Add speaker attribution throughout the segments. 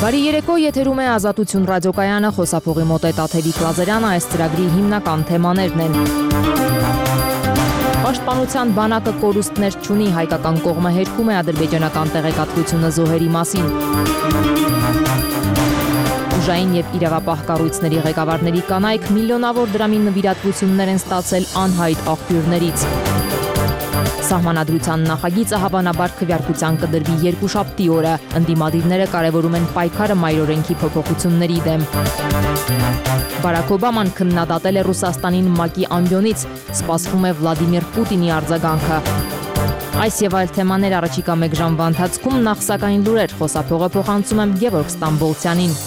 Speaker 1: Բարի երեկո, եթերում է Ազատություն ռադիոկայանը, խոսափողի մոտ է Տաթևիկ Լազարյանը, այս ծրագրի հիմնական թեմաներն են։ Պաշտպանության բանակը կորուստներ չունի, հայկական կողմը հերքում է ադրբեջանական տեղեկատվությունը զոհերի մասին։ Ուժային եւ իրավապահ կառույցների ղեկավարների կանայք միլիոնավոր դրամի նվիրատվություններ են ստացել անհայտ աղբյուրներից։ Սահմանադրության նախագիծը հավանաբար քվեարկության կդրվի երկուշաբթի օրը։ Ընդդիմադիրները կարևորում են պայքարը մայրօրենքի փոփոխությունների դեմ։ Բարաք Օբաման քննադատել է Ռուսաստանին ՄԱԿ-ի ամբիոնից, սպասվում է Վլադիմիր Պուտինի արձագանքը։ Այս եւ այլ թեմաներ առաջիկա 1 ժամվա ընթացքում, նախ սակայն լուրեր, խոսափողը փոխանցում եմ Գևորգ Ստամբոլցյանին։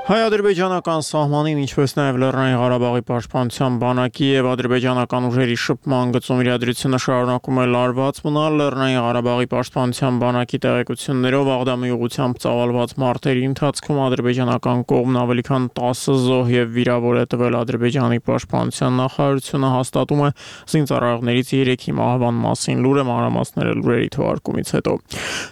Speaker 2: Հայ-ադրբեջանական սահմանին, ինչպես նաև Լեռնային Ղարաբաղի պաշտպանության բանակի եւ ադրբեջանական ուժերի շփման գծում իրադրությունը շարունակում է լարված մնալ։ Լեռնային Ղարաբաղի պաշտպանության բանակի տեղեկություններով Աղդամի ուղղությամբ ծավալված մարտերի ընթացքում ադրբեջանական կողմն ավելի քան 10 զոհ եւ վիրավոր է տվել։ Ադրբեջանի պաշտպանության նախարարությունը հաստատում է զինծառայողներից 3-ի մահվան մասին լուրը, մանրամասները լուրերի թողարկումից հետո։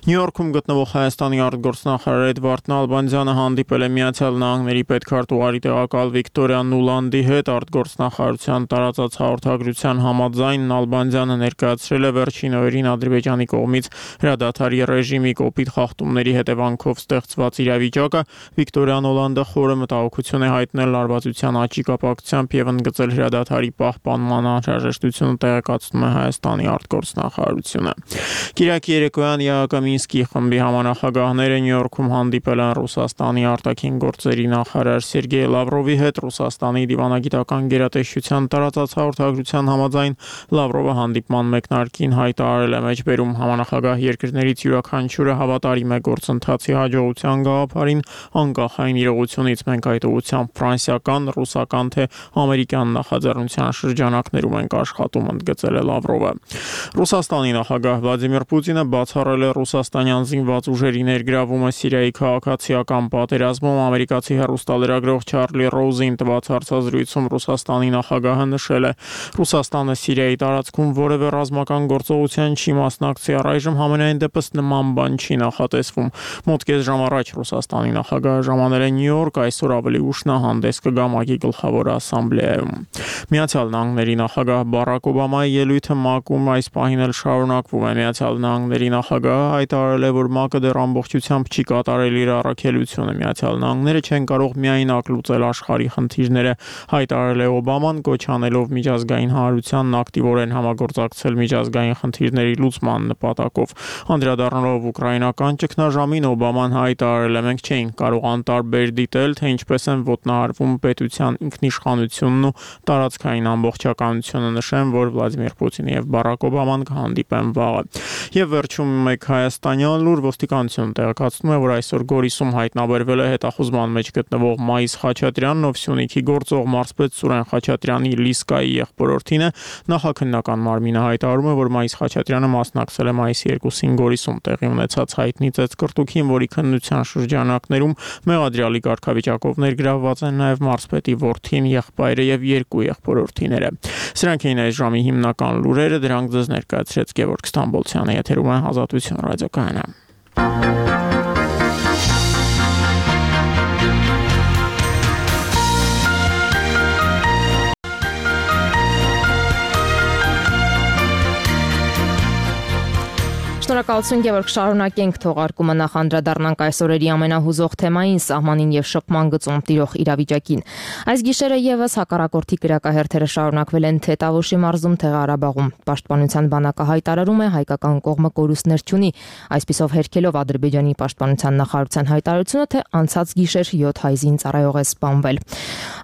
Speaker 2: Նյու Յորքում գտնվող Հայաստանի արտգործնախարար Էդվարդ Նալբանդյանը հանդիպել է Միացյալ Նահանգների պետքարտուղարի տեղակալ Վիկտորիա Նուլանդի հետ արտգործնախարարության տարածած հաղորդագրության համաձայն Նալբանդյանը ներկայացրել է վերջին օրերին Ադրբեջանի կողմից հրադադարի ռեժիմի կոպիտ խախտումների հետևանքով ստեղծված իրավիճակը։ Վիկտորիա Նուլանդը խորը մտահոգություն է հայտնել լարվածության աճի կապակցությամբ եւ ընդգծել հրադադարի պահպանման անհրաժեշտությունը, տեղեկացնում է Հայաստանի արտգործնախարարությունը։ Կիրակի երեկոյան ԵԱԿ Մինսկի խմբի համանախագահները Նյու Յորքում հանդիպել են Ռուսաստանի արտաքին գործերի նախարար Սերգեյ Լավրովի հետ։ Ռուսաստանի դիվանագիտական գերատեսչության տարածած հաղորդագրության համաձայն Լավրովը հանդիպման մեկնարկին հայտարարել է մեջբերում համանախագահ երկրներից յուրաքանչյուրը հավատարիմ է գործընթացի հաջողության գաղափարին անկախ այն իրողությունից։ Մենք այդ ուղղությամբ ֆրանսիական, ռուսական թե ամերիկյան նախաձեռնության շրջանակներում ենք աշխատում, ընդգծել է Լավրովը։ Ռուսաստանի նախագահ Վլադիմիր Պուտինը բացառել է ռուսաստանյան զինված ուժերի ներգրավումը Սիրիայի քաղաքացիական պատերազմում։ Ամերիկացի հեռուստալրագրող Չարլի Ռոուզին տված հարցազրույցում Ռուսաստանի նախագահը նշել է. Ռուսաստանը Սիրիայի տարածքում որևէ ռազմական գործողության չի մասնակցի, առայժմ համենայն դեպս նման բան չի նախատեսվում։ Մոտ կես ժամ առաջ Ռուսաստանի նախագահը ժամանել է Նյու Յորք, այսօր ավելի ուշ նա հանդես կգա ՄԱԿ-ի գլխավոր ասամբլեայում։ Միացյալ Նահանգների նախագահ Բարաք Օբամայի ելույթը ՄԱԿ-ում այս պահին էլ շարունակվում է։ Միացյալ Նահանգների նախագահը հայտարարել է, որ ՄԱԿ-ը դեռ ամբողջությամբ չի կատարել իր առաքելությունը։ Միացյալ Նահանգները չեն կարող միայնակ լուծել աշխարհի խնդիրները, հայտարարել է Օբաման, կոչ անելով միջազգային հանրությանն ակտիվորեն համագործակցել միջազգային խնդիրների լուծման նպատակով։ Անդրադառնալով ուկրաինական ճգնաժամին, Օբաման հայտարարել է. մենք չէինք կարող անտարբեր դիտել, թե ինչպես են ոտնահարվում պետության ինքնիշխանությունն ու տարածքային ամբողջականությունը։ Նշեմ, որ Վլադիմիր Պուտինը եւ Բարաք Օբաման կհանդիպեն վաղը։ Եվ վերջում մեկ հայաստանյան լուր, ոստիկանությունը տեղեկացնում է, որ այսօր Գորիսում հայտնաբերվել է հետախուզման մեջ գտնվող Մայիս Խաչատրյանն, ով Սյունիքի գործող մարզպետ Սուրեն Խաչատրյանի Լիսկայի եղբորորդին է։ Նախաքննական մարմինը հայտարարում է, որ Մայիս Խաչատրյանը մասնակցել է մայիսի 2-ին Գորիսում տեղի ունեցած հայտնի ծեծկռտուքին, որի քննության շրջանակներում մեղադրյալի կարգավիճակով ներգրավված են նաև մարզպետի որդին, եղբայրը եւ 2 եղբորորդիները։ Սրանք էին այս ժամի հիմնական լուրերը, դրանք ձեզ ներկայացրեց Գևորգ Ստամբոլցյանը, եթերում է Ազատություն ռադիոկայանը։
Speaker 1: Շնորհակալություն Գևորգ, շարունակենք թողարկումը, նախ անդրադառնանք այս օրերի ամենահուզող թեմային՝ սահմանին եւ շփման գծում տիրող իրավիճակին։ Այս գիշերը եւս հակառակորդի կրակահերթերը շարունակվել են թե Տավուշի մարզում, թե Ղարաբաղում։ Պաշտպանության բանակը հայտարարում է, հայկական կողմը կորուստներ չունի, այսպիսով հերքելով Ադրբեջանի պաշտպանության նախարարության հայտարարությունը, թե անցած գիշեր 7 հայ զինծառայող է սպանվել։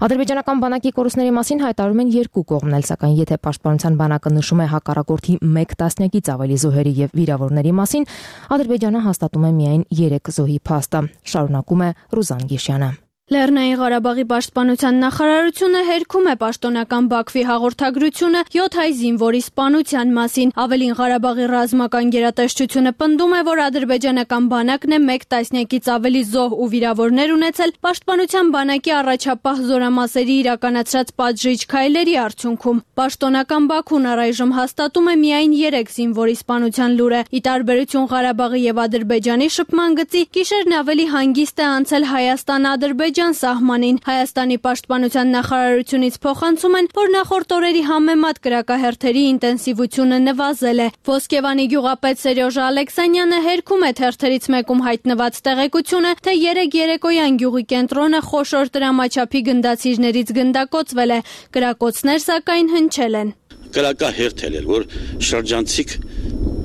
Speaker 1: Ադրբեջանական բանակի կորուստների մասին հայտարարում են երկու կողմն էլ, սակայն եթե պաշտպանության բանակը նշում է հակառակորդի 1 տասնյակից ավելի զոհերի եւ վիրավորների մասին, Ադրբեջանը հաստատում է միայն 3 զոհի փաստը։ Շարունակում է Ռուզան Գիշյանը։
Speaker 3: Լեռնային Ղարաբաղի պաշտպանության նախարարությունը հերքում է պաշտոնական Բաքվի հաղորդագրությունը 7 հայ զինվորի սպանության մասին։ Ավելին, Ղարաբաղի ռազմական գերատեսչությունը պնդում է, որ ադրբեջանական բանակն է 1 տասնյակից ավելի զոհ ու վիրավորներ ունեցել պաշտպանության բանակի առաջապահ զորամասերի իրականացրած պատժիչ քայլերի արդյունքում։ Պաշտոնական Բաքուն առայժմ հաստատում է միայն 3 զինվորի սպանության լուրը։ Ի տարբերություն Ղարաբաղի եւ Ադրբեջանի շփման գծի, գիշերն ավելի հանգիստ է անցել Հայաստան-Ադրբեջան սահմանին։ Հայաստանի պաշտպանության նախարարությունից փոխանցում են, որ նախորդ օրերի համեմատ կրակահերթերի ինտենսիվությունը նվազել է։ Ոսկեվանի գյուղապետ Սերյոժ Ալեքսանյանը հերքում է թերթերից մեկում հայտնված տեղեկությունը, թե 3 երեկոյան գյուղի կենտրոնը խոշոր տրամաչափի գնդացիրներից գնդակոծվել է։ Կրակոցներ սակայն հնչել են։
Speaker 4: Կրակահերթ էր, որ շրջանցիկ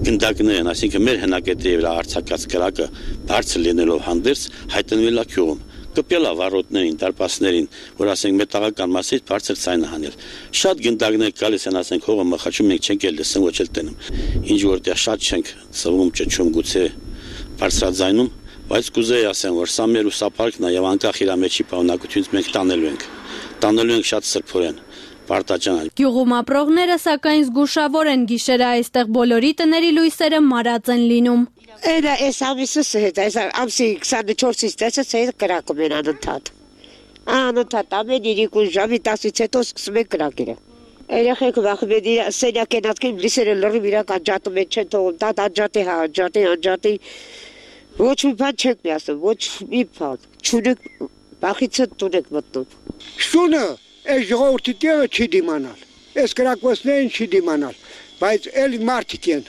Speaker 4: գնդակներ են, այսինքն մեր հնակետի վրա արձակած կրակը բարձր լինելով հանդերձ հայտնվել է գյուղում։ Կպել է վարորդներին, դարպասներին, որ ասենք մետաղական մասից բարձր ցայնը հանել։ Շատ գնդակներ գալիս են, ասենք հողը մխաչում, մենք չենք էլ լսում, ոչ էլ տենում։ Ինչ որտեղ շատ չենք սվում, ճճում, գուցե բարձրաձայնում, բայց կուզեի ասեմ, որ սա մեր ուսապարկն է եւ անկախ իր մեջի պարունակությունից մենք տանելու ենք շատ սրբորեն։
Speaker 3: Գյուղում ապրողները սակայն զգուշավոր են, գիշերը այստեղ բոլորի տների լույսերը մարած են լինում։
Speaker 5: Այս ամիսը հետ, այս ամսի 24-ից տեսած այդ կրակում են անընդհատ։ Անընդհատ ամեն 2 ժամի 10-ից հետո սկսում են կրակերը։ Երեխեքը վախում են սենյակ են ատկին, լիսերը լրիվ իրակ անջատում են, չեն թողում, դա անջատի, անջատի։ Ոչ մի բան չեք միացնում, ոչ մի բան։ Չունեք, վախիցը տուն եք մտնում։
Speaker 6: Շունը այս ժողովրդի տեղը չի դիմանալ, այս կրակոցներին չի դիմանալ, բայց էլ մարդիկ են,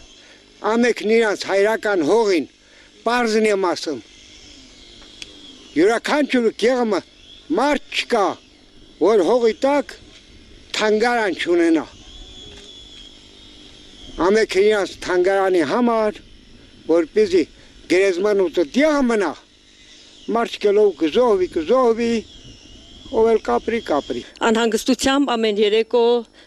Speaker 6: ամեկն իրանց հայրական հողին, պարզն եմ ասում, յուրաքանչյուր կեղմը մարդ չկա, որ հողի տակ թանգարան չունենա, ամեկն իրանց թանգարանի համար, որպեսզի գերեզմանուտը տեղը մնա, մարդ կելով կզոհվի, ով էլ կապրի։
Speaker 7: Անհանգստությամբ ամեն երեկո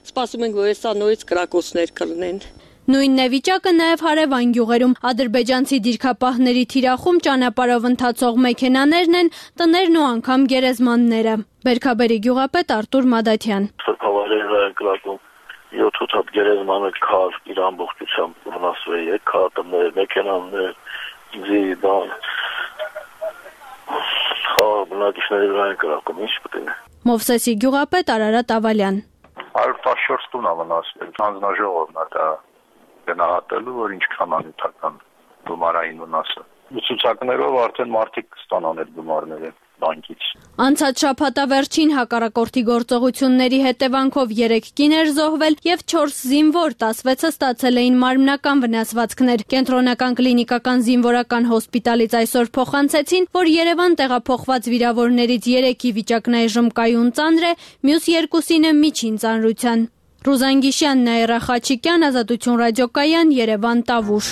Speaker 7: սպասում ենք, որ սա նորից կրակոցներ կլինեն։
Speaker 3: Նույնն է վիճակը նաև հարևան գյուղերում։ Ադրբեջանցի դիրքապահների թիրախում ճանապարհով ընթացող մեքենաներն են, տներն ու անգամ գերեզմանները։ Բերքաբերի գյուղապետ Արտուր Մադաթյան։
Speaker 8: Սրբավայրերը են կրակում 7-8 հատ գերեզմանը քար իր ամբողջությամբ վնասվել է, քարտներ, մեքենաներ, բնակիչների վրա են կրակում, ինչ պետք է։
Speaker 3: Մովսեսի գյուղապետ Արարատ Ավալյան։
Speaker 8: 114 տուն է վնասվել, հանձնաժողովն է դա գնահատելու, որ ինչքան անհատական գումարային վնասը։ Ցուցակներով արդեն մարդիկ կստանան այդ գումարները բանկից։
Speaker 3: Անցած շաբաթավերջին հակառակորդի գործողությունների հետևանքով 3 կիներ զոհվել եւ 4 զինվոր, 16-ը ստացել էին մարմնական վնասվածքներ։ Կենտրոնական կլինիկական զինվորական հոսպիտալից այսօր փոխանցեցին, որ Երևան տեղափոխված վիրավորներից 3-ի վիճակն այժմ կայուն ծանր է, մյուս 2-ինը միջին ծանրության։ Ռուզան Գիշյան, Նաիրա Խաչիկյան, Ազատություն ռադիոկայան, Երևան, Տավուշ։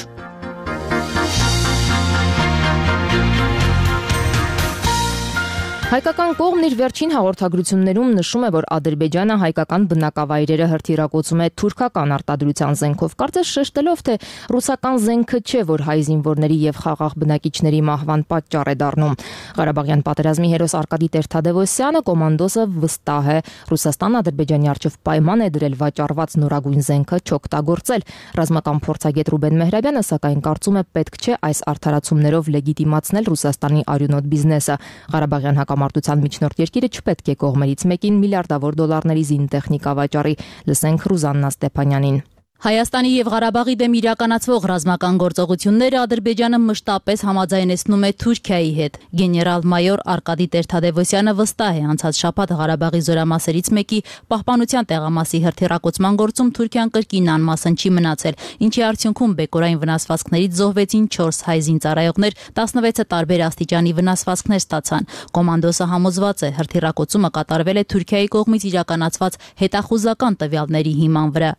Speaker 1: Հայկական կողմն իր վերջին հաղորդագրություններում նշում է, որ Ադրբեջանը հայկական բնակավայրերը հրթիռակոծում է թուրքական արտադրության զենքով, կարծես շեշտելով, թե ռուսական զենքը չէ, որ հայ զինվորների եւ խաղաղ բնակիչների մահվան պատճառ է դառնում։ Ղարաբաղյան պատերազմի հերոս Արկադի Տեր-Թադևոսյանը կոմանդոսը վստահ է, Ռուսաստանը Ադրբեջանի առջև պայման է դրել վաճառված նորագույն զենքը չօգտագործել։ Ռազմական փորձագետ Ռուբեն Մեհրաբյանը սակայն կարծում է, պետք չէ այս արդարացումներով լեգիտիմացնել Ռուսաստանի արյունոտ բիզնեսը։ Ղարաբաղյան հակամարտության միջնորդ երկիրը չպետք է կողմերից մեկին միլիարդավոր դոլարների զինտեխնիկա վաճառի։ Լսենք Ռուզաննա Ստեփանյանին։
Speaker 9: Հայաստանի եւ Ղարաբաղի դեմ իրականացվող ռազմական գործողությունները Ադրբեջանը մշտապես համաձայնեցնում է Թուրքիայի հետ։ Գեներալ-մայոր Արկադի Տեր-Թադևոսյանը վստահ է, անցած շաբաթ Ղարաբաղի զորամասերից մեկի պահպանության տեղամասի հրթիռակոծման գործում Թուրքիան կրկին անմասն չի մնացել, ինչի արդյունքում բեկորային վնասվածքներից զոհվեցին 4 հայ զինծառայողներ, 16-ը տարբեր աստիճանի վնասվածքներ ստացան։ Կոմանդոսը համոզված է, հրթիռակոծումը կատարվել է Թուրքիայի կողմից իրականացված հետախուզական տվյալների հիման վրա։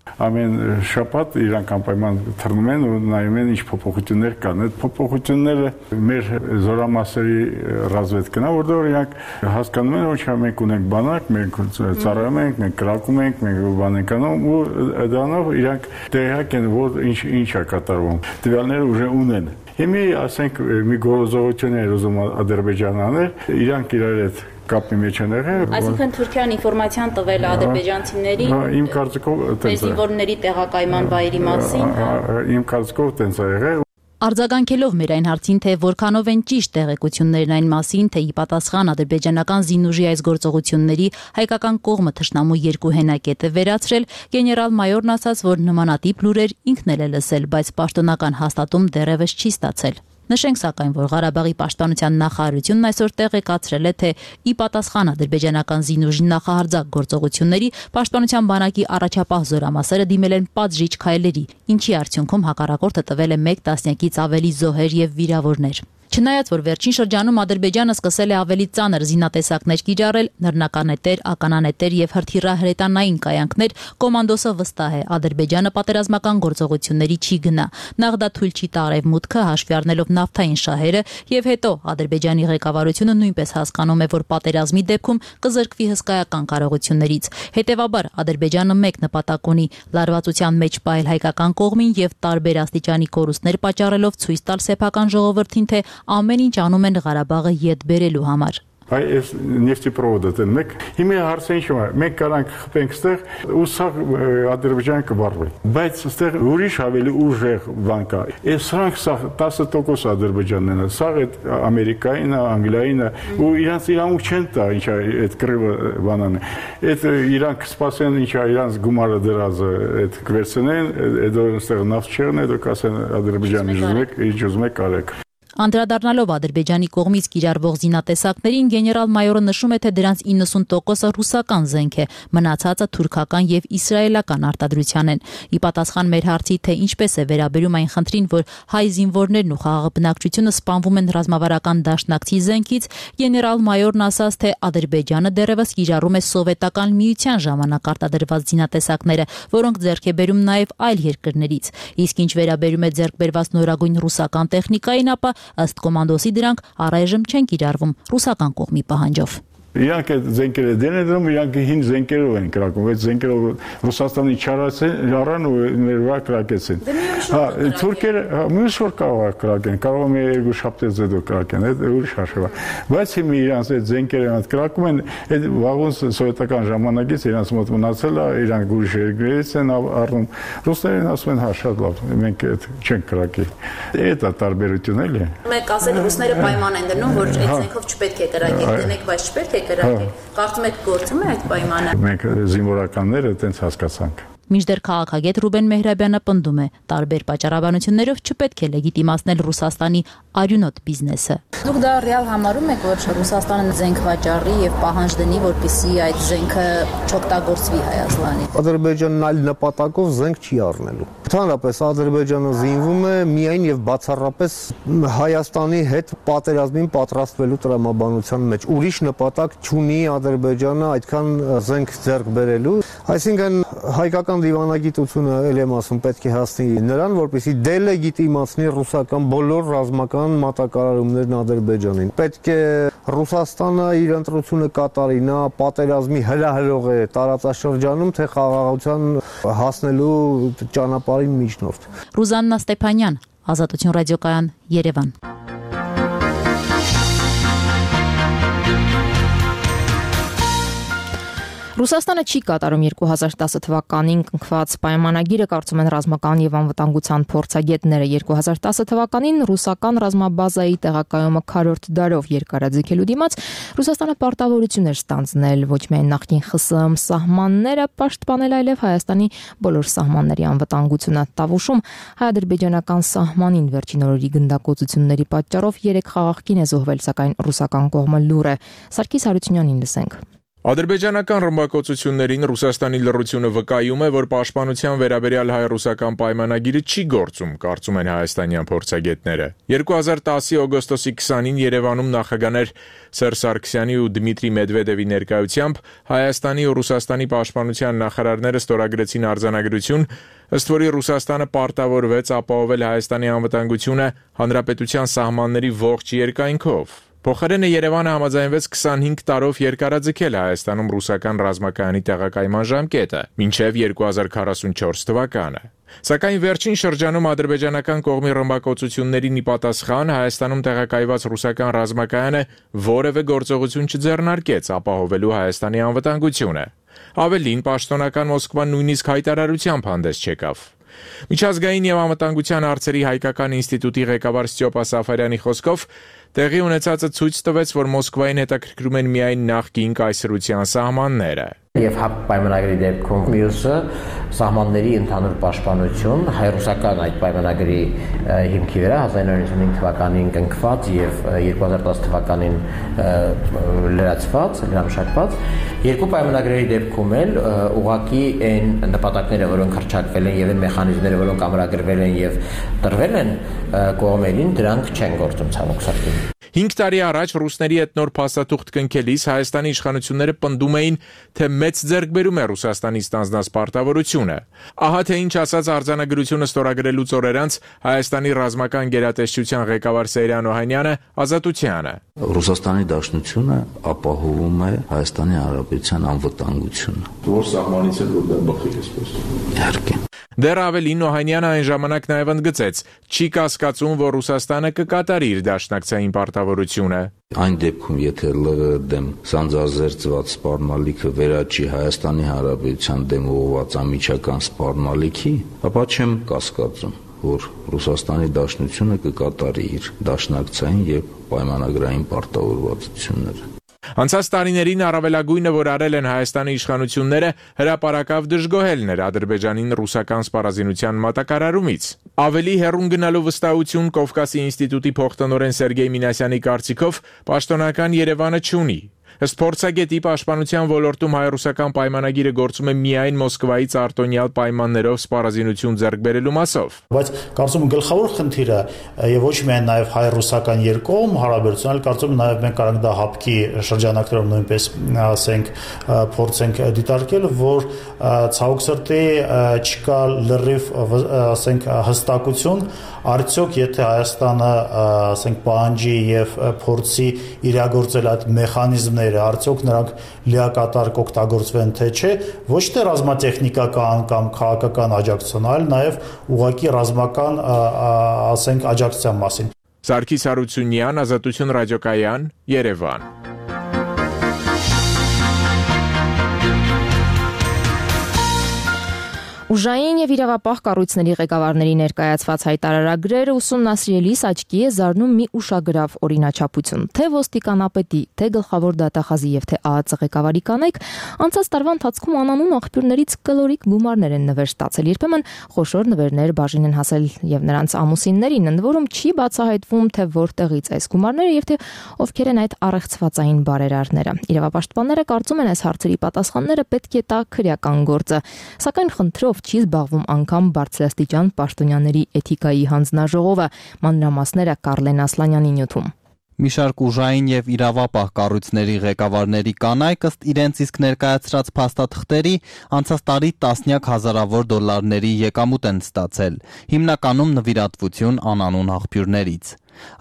Speaker 10: Շաբաթ իրանք անպայման թռնում են ու նայում են ինչ փոփոխություններ կան։ Այդ փոփոխությունները մեր զորամասերի ռազմավետքն է, որտեղ իրանք հասկանում են, որ մենք ունենք բանակ, մենք ծառայում ենք, մենք կրակում ենք, մենք բան ենք անում ու դրանով իրանք տեղյակ են, որ ինչ է կատարվում։ Տվյալները ուժը ունեն։ Հիմա ասենք մի գործողություն է ուզում Ադրբեջանը անել, իրանք իրար հետ կապի մեջ են եղել։
Speaker 9: Այսինքն Թուրքիան ինֆորմացիան տվել ադրբեջանցիներին
Speaker 10: իմ կարծիքով
Speaker 9: զինվորների տեղակայման վայրի մասին,
Speaker 10: իմ կարծիքով տենց է եղել։
Speaker 9: Արձագանքելով մեր այն հարցին, թե որքանով են ճիշտ տեղեկություններն այն մասին, թե ի պատասխան ադրբեջանական զինուժի այս գործողությունների հայկական կողմը թշնամու երկու հենակետ է վերացրել, գեներալ-մայորն ասաց, որ նմանատիպ լուրեր ինքն էլ է լսել, բայց պաշտոնական հաստատում դեռևս չի ստացել։ Նշենք սակայն, որ Ղարաբաղի պաշտպանության նախարարությունն այսօր տեղեկացրել է, թե ի պատասխան ադրբեջանական զինուժի նախահարձակ գործողությունների պաշտպանության բանակի առաջապահ զորամասերը դիմել են պատժիչ քայլերի, ինչի արդյունքում հակառակորդը տվել է 1 տասնյակից ավելի զոհեր եւ վիրավորներ։ Չնայած որ վերջին շրջանում Ադրբեջանը սկսել է ավելի ծանր զինատեսակներ կիրառել, նռնականետեր, ականանետեր եւ հրթիռահրետանային կայանքներ, կոմանդոսը վստահ է, Ադրբեջանը պատերազմական գործողությունների չի գնա։ Նախ դա թույլ չի տա Արևմուտքը, հաշվի առնելով նավթային շահերը, եւ հետո Ադրբեջանի ղեկավարությունը նույնպես հասկանում է, որ պատերազմի դեպքում կզրկվի հսկայական կարողություններից։ Հետևաբար Ադրբեջանը մեկ նպատակ ունի՝ լարվածության մեջ պահել հայկական կողմին եւ տարբեր աստիճանի կորուստներ պատճառելով ցույց տալ սեփական ժողովրդին, թե ամեն ինչ անում են Ղարաբաղը ետ բերելու համար։
Speaker 10: Այս նեֆտեպրովոդը դեն մեկ հիմա հարցը ինչու է մենք կարանք խփենք ստեղ ու սա Ադրբեջանը կվառվի բայց ստեղ ուրիշ ավելի ուժեղ բան կա այս սրանք սա 10% Ադրբեջանն է սա այդ Ամերիկային Անգլիային ու իրանց իրանք չեն տա ինչա այդ կռիվը բանան այդ իրանք սպասեն ինչա իրանց գումարը դրած այդ կվերցնեն այդ ստեղ նավթ չեղն է դուք ասեն Ադրբեջանի ուզում եք արեք
Speaker 9: Անդրադառնալով Ադրբեջանի կողմից կիրառվող զինատեսակներին գեներալ-մայորը նշում է, թե դրանց 90%-ը ռուսական զենք է, մնացածը թուրքական եւ իսրայելական արտադրության են։ Ի պատասխան մեր հարցի, թե ինչպես է վերաբերում այն խնդրին, որ հայ զինվորներն ու խաղաղ բնակչությունը սպանվում են ռազմավարական դաշնակցի զենքից, գեներալ-մայորն ասաց, թե Ադրբեջանը դեռևս կիրառում է սովետական միության ժամանակ արտադրված զինատեսակները, որոնք ձեռք է բերում նաեւ այլ երկրներից։ Իսկ ինչ վերաբերում է ձեռք բերված նորագույն ռուսական տեխնիկային, ապա ըստ կոմանդոսի դրանք առայժմ չեն կիրառվում ռուսական կողմի պահանջով։
Speaker 10: Իրանք այդ զենքերը դեն իրանք հին զենքերով են կրակում, այդ զենքերով Ռուսաստանի չարան ու մեր վրա կրակեցին։ Թուրքերը մյուս որ կարող է կրակեն, կարող է երկու շաբթից հետո կրակեն, այդ ուրիշ հաշվա։ Բայց հիմա իրանք այդ զենքերը այդ կրակում են, այդ վաղուց սովետական ժամանակից իրանք մոտ մնացել է, իրանք ուրիշ երկրներից են առնում։ Ռուսներն ասում են հա շատ լավ, մենք այդ չենք կրակի։ Դա տարբերություն էլի։
Speaker 9: Մեկ ասել ռուսները պայման են դնում, որ այդ զենքով չպետք է կրակեք, դնեք, բայց չպետք է Կարծում եք գործում է այդ պայմանը։
Speaker 10: Մենք զինվորականները այդպես հասկացանք։
Speaker 9: Մինչդեռ քաղաքագետ Ռուբեն Մեհրաբյանը պնդում է, տարբեր պատճառաբանություններով չպետք է լեգիտիմացնել Ռուսաստանի արյունոտ բիզնեսը։ Դուք դա ռեալ համարում եք, որ Ռուսաստանը զենք վաճառի եւ պահանջ դնի, որպեսզի այդ զենքը չօգտագործվի Հայաստանի։
Speaker 11: Ադրբեջանն այլ նպատակով զենք չի առնելու։ Ընդհանրապես Ադրբեջանը զինվում է միայն եւ բացառապես Հայաստանի հետ պատերազմին պատրաստվելու տրամաբանության մեջ։ Ուրիշ նպատակ չունի Ադրբեջանը այդքան զենք ձեռք բերելու, այսինքն հայկական դիվանագիտությունը ել եմ ասում պետք է հասնի նրան, որպեսզի դելեգիտիմացնի ռուսական բոլոր ռազմական մատակարարումներն Ադրբեջանին։ Պետք է Ռուսաստանը իր ընտրությունը կատարի, նա պատերազմի հրահրող է տարածաշրջանում, թե խաղաղության հասնելու ճանապարհին միջնորդ։
Speaker 9: Ռուզաննա Ստեփանյան, Ազատություն ռադիոկայան, Երևան։
Speaker 1: Ռուսաստանը չի կատարում 2010 թվականին կնքված պայմանագիրը, կարծում են ռազմական եւ անվտանգության փորձագետները։ 2010 թվականին ռուսական ռազմաբազայի տեղակայումը քառորդ դարով երկարաձգելու դիմաց Ռուսաստանը պարտավորություն էր ստանձնել ոչ միայն նախկին ԽՍՀՄ սահմանները պաշտպանել, այլև Հայաստանի բոլոր սահմանների անվտանգությունը։ Տավուշում հայ-ադրբեջանական սահմանին վերջին օրերի գնդակոծությունների պատճառով 3 խաղաղ կին է զոհվել, սակայն ռուսական կողմը լուր է։ Սարգիս Հարությունյանին լսենք։
Speaker 12: Ադրբեջանական ռմբակոծություններին Ռուսաստանի լռությունը վկայում է, որ պաշտպանության վերաբերյալ հայ-ռուսական պայմանագիրը չի գործում, կարծում են հայաստանյան փորձագետները։ 2010-ի օգոստոսի 20-ին Երևանում նախագահներ Սերժ Սարգսյանի ու Դմիտրի Մեդվեդևի ներկայությամբ Հայաստանի ու Ռուսաստանի պաշտպանության նախարարները ստորագրեցին արձանագրություն, ըստ որի Ռուսաստանը պարտավորվեց ապահովել Հայաստանի անվտանգությունը հանրապետության սահմանների ողջ երկայնքով։ Փոխարենը Երևանը համաձայնվեց 25 տարով երկարաձգել Հայաստանում ռուսական ռազմակայանի տեղակայման ժամկետը մինչև 2044 թվականը։ Սակայն վերջին շրջանում ադրբեջանական կողմի ռմբակոծություններին ի պատասխան Հայաստանում տեղակայված ռուսական ռազմակայանը որևէ գործողություն չձեռնարկեց ապահովելու Հայաստանի անվտանգությունը։ Ավելին, պաշտոնական Մոսկվան նույնիսկ հայտարարությամբ հանդես չեկավ։ Միջազգային եւ անվտանգության հարցերի հայկական ինստիտուտի ղեկավար Ստյոպա Սաֆարյանի խոսքով տեղի ունեցածը ցույց տվեց, որ Մոսկվային հետաքրքրում են միայն նախկին կայսրության սահմանները։
Speaker 13: Եվ հապ պայմանագրի դեպքում մյուսը սահմանների ընդհանուր պաշտպանություն հայ-ռուսական այդ պայմանագրի հիմքի վրա 1995 թվականին կնքված եւ 2010 թվականին լրացված, լրամշակված երկու պայմանագրերի դեպքում էլ ուղղակի այն նպատակները, որոնք հռչակվել են եւ այն մեխանիզմները, որոնք ամրագրվել են եւ տրվել են կողմերին, դրանք չեն գործում ցավոք սրտի։
Speaker 12: 5 տարի առաջ ռուսների հետ նոր փաստաթուղթ կնքելիս Հայաստանի իշխանությունները պնդում էին, թե մեծ ձեռքբերում է Ռուսաստանից ստանձնած պարտավորությունը։ Ահա թե ինչ ասաց արձանագրությունը ստորագրելուց օրեր անց Հայաստանի ռազմական գերատեսչության ղեկավար Սեյրան Օհանյանը Ազատությանը։
Speaker 14: Ռուսաստանի Դաշնությունը ապահովում է Հայաստանի Հանրապետության անվտանգությունը։ Որ սահմանից էլ որ դա բխի էսպես։ Իհարկե։
Speaker 12: Դեռ ավելին Օհանյանը այն ժամանակ նաև ընդգծեց, չի կասկածում, որ Ռուսաստանը կկատարի իր դաշնակցային պարտավորությունը։
Speaker 14: Այն դեպքում, եթե ԼՂ դեմ սանձազերծված սպառնալիքը վերաճի Հայաստանի Հանրապետության դեմ ուղղված անմիջական սպառնալիքի, ապա չեմ կասկածում, որ Ռուսաստանի Դաշնությունը կկատարի իր դաշնակցային եւ պայմանագրային պարտավորվածությունները։
Speaker 12: Անցած տարիներին առավելագույնը, որ արել են Հայաստանի իշխանությունները, հրապարակավ դժգոհելն էր Ադրբեջանին ռուսական սպառազինության մատակարարումից։ Ավելի հեռուն գնալու վստահություն Կովկասի ինստիտուտի փոխտնօրեն Սերգեյ Մինասյանի կարծիքով պաշտոնական Երևանը չունի։ Ըստ փորձագետի պաշտպանության ոլորտում հայ-ռուսական պայմանագիրը գործում է միայն Մոսկվայից արտոնյալ պայմաններով սպառազինություն ձեռք բերելու մասով։
Speaker 15: Բայց կարծում եմ գլխավոր խնդիրը եւ ոչ միայն նաեւ հայ-ռուսական երկկողմ հարաբերություն, այլ կարծում եմ նաեւ մենք կարող ենք դա հապկի շրջանակներում նույնպես ասենք փորձենք դիտարկել, որ ցավոք սրտի չկա լրիվ ասենք հստակություն, արդյոք եթե Հայաստանը ասենք պահանջի եւ փորձի իրագործել այդ մեխանիզմները, արդյոք նրանք լիակատար կօգտագործվեն թե չէ, ոչ թե ռազմատեխնիկական կամ քաղաքական աջակցություն, այլ նաեւ ուղղակի ռազմական ասենք աջակցության մասին։
Speaker 12: Սարգիս Հարությունյան, Ազատություն ռադիոկայան, Երևան։
Speaker 1: Ուժային եւ իրավապահ կառույցների ղեկավարների ներկայացված հայտարարագրերը ուսումնասիրելիս աչքի է զարնում մի ուշագրավ օրինաչափություն, թե ոստիկանապետի, թե գլխավոր դատախազի եւ թե ԱԱԾ ղեկավարի կանայք անցած տարվա ընթացքում անանուն աղբյուրներից կլորիկ գումարներ են նվեր ստացել, երբեմն խոշոր նվերներ բաժին են հասել եւ նրանց ամուսիններին, ընդ որում չի բացահայտվում, թե որտեղից այս գումարները եւ թե ովքեր են այդ առեղծվածային բարերարները։ Իրավապաշտպանները կարծում են, այս հարցերի պատասխանները պետք է տա քրեական գործը, սակայն խնդրով չի զբաղվում անգամ բարձրաստիճան պաշտոնյաների էթիկայի հանձնաժողովը, մանրամասները Կարլեն Ասլանյանի նյութում։
Speaker 16: Մի շարք ուժային եւ իրավապահ կառույցների ղեկավարների կանայք ըստ իրենց իսկ ներկայացրած փաստաթղթերի անցած տարի տասնյակ հազարավոր դոլարների եկամուտ են ստացել, հիմնականում նվիրատվություն անանուն աղբյուրներից։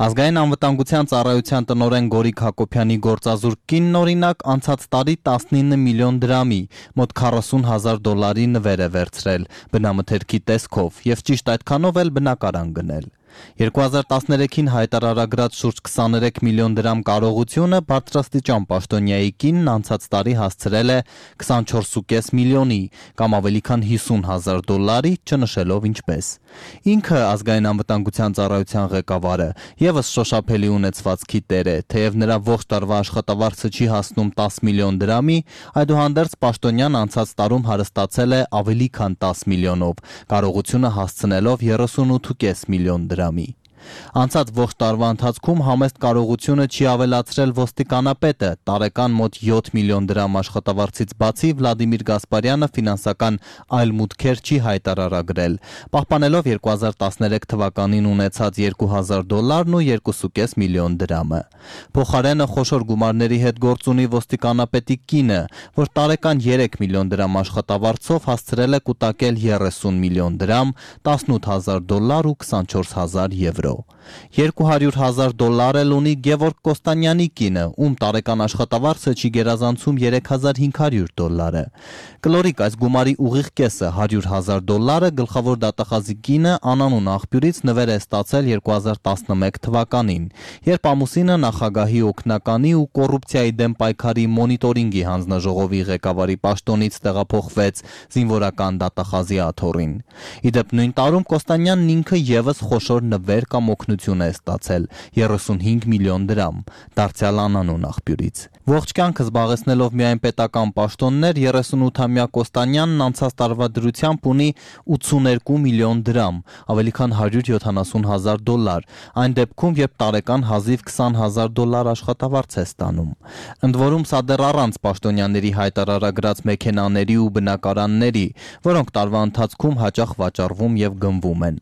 Speaker 16: Ազգային անվտանգության ծառայության տնօրեն Գորիկ Հակոբյանի գործազուրկ կինն օրինակ անցած տարի 19 միլիոն դրամի, մոտ 40,000 դոլարի նվեր է վերցրել բնամթերքի տեսքով եւ ճիշտ այդքանով էլ բնակարան գնել։ 2013-ին հայտարարագրած շուրջ 23 միլիոն դրամ կարողությունը բարձրաստիճան պաշտոնյայի կինն անցած տարի հասցրել է 24.5 միլիոնի կամ ավելի քան 50,000 դոլարի, չնշելով ինչպես։ Ինքը ազգային անվտանգության ծառայության ղեկավարը եւս շոշափելի ունեցվածքի տեր է, թեև նրա ողջ տարվա աշխատավարձը չի հասնում 10 միլիոն դրամի, այդուհանդերձ պաշտոնյան անցած տարում հարստացել է ավելի քան 10 միլիոնով, կարողությունը հասցնելով 38.5 միլիոն դրամի։ Անցած ողջ տարվա ընթացքում համեստ կարողությունը չի ավելացրել ոստիկանապետը, տարեկան մոտ 7 միլիոն դրամ աշխատավարձից բացի Վլադիմիր Գասպարյանը ֆինանսական այլ մուտքեր չի հայտարարագրել, պահպանելով 2013 թվականին ունեցած 2000 դոլարն ու 2.5 միլիոն դրամը։ Փոխարենը խոշոր գումարների հետ գործ ունի ոստիկանապետի կինը, որ տարեկան 3 միլիոն դրամ աշխատավարձով հասցրել է կուտակել 30 միլիոն դրամ, 18,000 դոլար ու 24,000 եվրո։ $200,000 էլ ունի Գևորգ Կոստանյանի կինը, ում տարեկան աշխատավարձը չի գերազանցում $3,500։ Կլորիկ այս գումարի ուղիղ կեսը $100,000 գլխավոր դատախազի կինը անանուն աղբյուրից նվեր է ստացել 2011 թվականին, երբ ամուսինը նախագահի օգնականի ու կոռուպցիայի դեմ պայքարի մոնիտորինգի հանձնաժողովի ղեկավարի պաշտոնից տեղափոխվեց զինվորական դատախազի աթոռին։ Իդեպ նույն տարում Կոստանյանն ինքը եւս խոշոր նվեր կամ օգնություն է ստացել 35 միլիոն դրամ, դարձյալ անանուն աղբյուրից։ Ողջ կյանքը զբաղեցնելով միայն պետական պաշտոններ, 38-ամյա Կոստանյանն անցած տարվա դրությամբ ունի 82 միլիոն դրամ, ավելի քան $170,000, այն դեպքում, երբ տարեկան հազիվ $20,000 աշխատավարձ է ստանում։ Ընդ որում սա դեռ առանց պաշտոնյաների հայտարարագրած մեքենաների ու բնակարանների, որոնք տարվա ընթացքում հաճախ վաճառվում եւ գնվում են։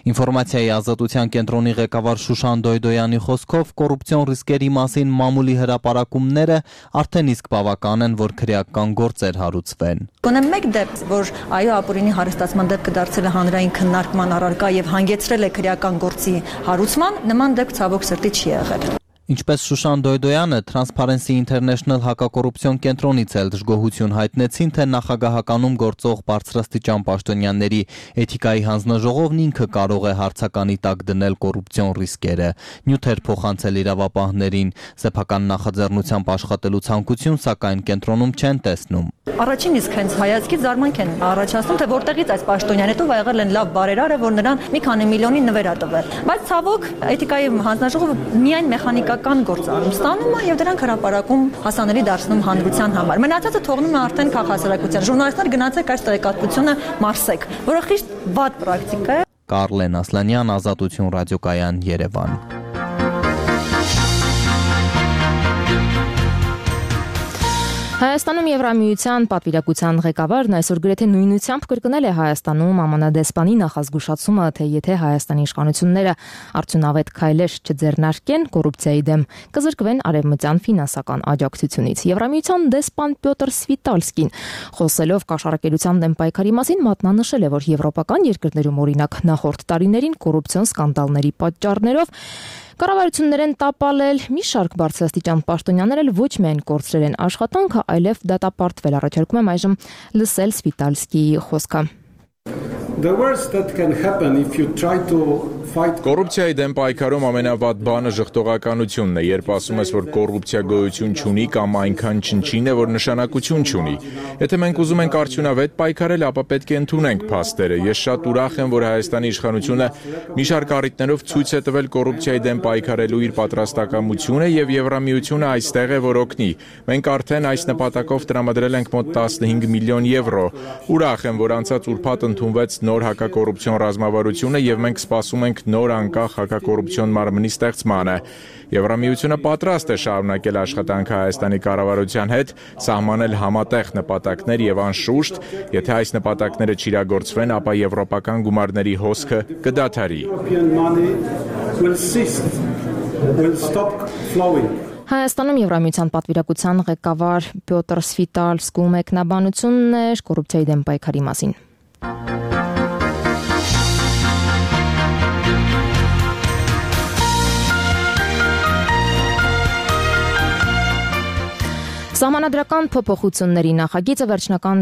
Speaker 16: Ինֆորմացիայի ազատության կենտրոնի ղեկավար Շուշան Դոյդոյանի խոսքով կոռուպցիոն ռիսկերի մասին մամուլի հրապարակումները արդեն իսկ բավական են, որ քրեական գործեր հարուցվեն։
Speaker 17: Գոնե մեկ դեպք, որ այո ապօրինի հարստացման դեպքը դարձել է հանրային քննարկման առարկա եւ հանգեցրել է քրեական գործի հարուցման, նման դեպք ցավոք սրտի չի եղել։
Speaker 16: Ինչպես Շուշան Դոյդոյանը Transparency International հակակոռուպցիոն կենտրոնից էլ դժգոհություն հայտնեցին, թե նախագահականում գործող բարձրաստիճան պաշտոնյաների էթիկայի հանձնաժողովն ինքը կարող է հարցականի տակ դնել կոռուպցիոն ռիսկերը, նյութեր փոխանցել իրավապահներին, սեփական նախաձեռնությամբ աշխատելու ցանկություն, սակայն կենտրոնում չեն տեսնում։
Speaker 17: Առաջին իսկ հենց հայացքից զարմանք են առաջացնում, թե որտեղից այս պաշտոնյան հետո եղել են լավ բարերարը, որ նրան մի քանի միլիոնի նվեր ա տվել։ Բայց ցավոք էթիկայի հանձնաժողովը միայն մեխանիկական գործ անում, ստանում է եւ դրանք հրապարակում հասանելի դարձնում հանրության համար։ Մնացածը թողնում է արդեն քաղաքասարակության։ Ժուրնալիստներ գնացեք այս տեղեկատվությունը մարսեք, որը խիստ վատ պրակտիկա է։
Speaker 16: Կարլեն Ասլանյան, Ազատություն ռադիոկայան, Երևան։
Speaker 1: Հայաստանում Եվրամիության պատվիրակության ղեկավարն այսօր գրեթե նույնությամբ կրկնել է Հայաստանում ԱՄՆ-դեսպանի նախազգուշացումը, թե եթե Հայաստանի իշխանությունները արդյունավետ քայլեր չձեռնարկեն կոռուպցիայի դեմ, կզրկվեն արևմտյան ֆինանսական աջակցությունից։ Եվրամիության դեսպան Պյոտր Սվիտալսկին խոսելով կաշառակերության դեմ պայքարի մասին մատնանշել է, որ եվրոպական երկրներում օրինակ նախորդ տարիներին կոռուպցիոն սկանդալների պատճառներով կառավարություններ են տապալել, մի շարք բարձրաստիճան պաշտոնյաներ էլ ոչ միայն կորցրել են աշխատանքը, այլև դատապարտվել։ Առաջարկում եմ այժմ լսել Սվիտալսկիի խոսքը։
Speaker 12: Կոռուպցիայի դեմ պայքարում ամենավատ բանը ժխտողականությունն է, երբ ասում ես, որ կոռուպցիա գոյություն չունի կամ այնքան չնչին է, որ նշանակություն չունի։ Եթե մենք ուզում ենք արդյունավետ պայքարել, ապա պետք է ընդունենք փաստերը։ Ես շատ ուրախ եմ, որ Հայաստանի իշխանությունը մի շարք առիթներով ցույց է տվել կոռուպցիայի դեմ պայքարելու իր պատրաստակամությունը եւ Եվրամիությունը այստեղ է, որ օգնի։ Մենք արդեն այս նպատակով տրամադրել ենք մոտ 15 միլիոն եվրո։ Ուրախ եմ, որ անցած ուրբաթ ընդունվեց նոր հակակոռուպցիոն ռազմավարությունը եւ մենք սպասում ենք նոր անկախ հակակոռուպցիոն մարմնի ստեղծմանը։ Եվրամիությունը պատրաստ է շարունակել աշխատանքը Հայաստանի կառավարության հետ, սահմանել համատեղ նպատակներ եւ անշուշտ, եթե այս նպատակները չիրագործվեն, ապա եվրոպական գումարների հոսքը կդադարի։
Speaker 1: Հայաստանում Եվրամիության պատվիրակության ղեկավար Պյոտր Սվիտալսկու մեկնաբանությունն էր կոռուպցիայի դեմ պայքարի մասին։ Սահմանադրական փոփոխությունների նախագիծը վերջնական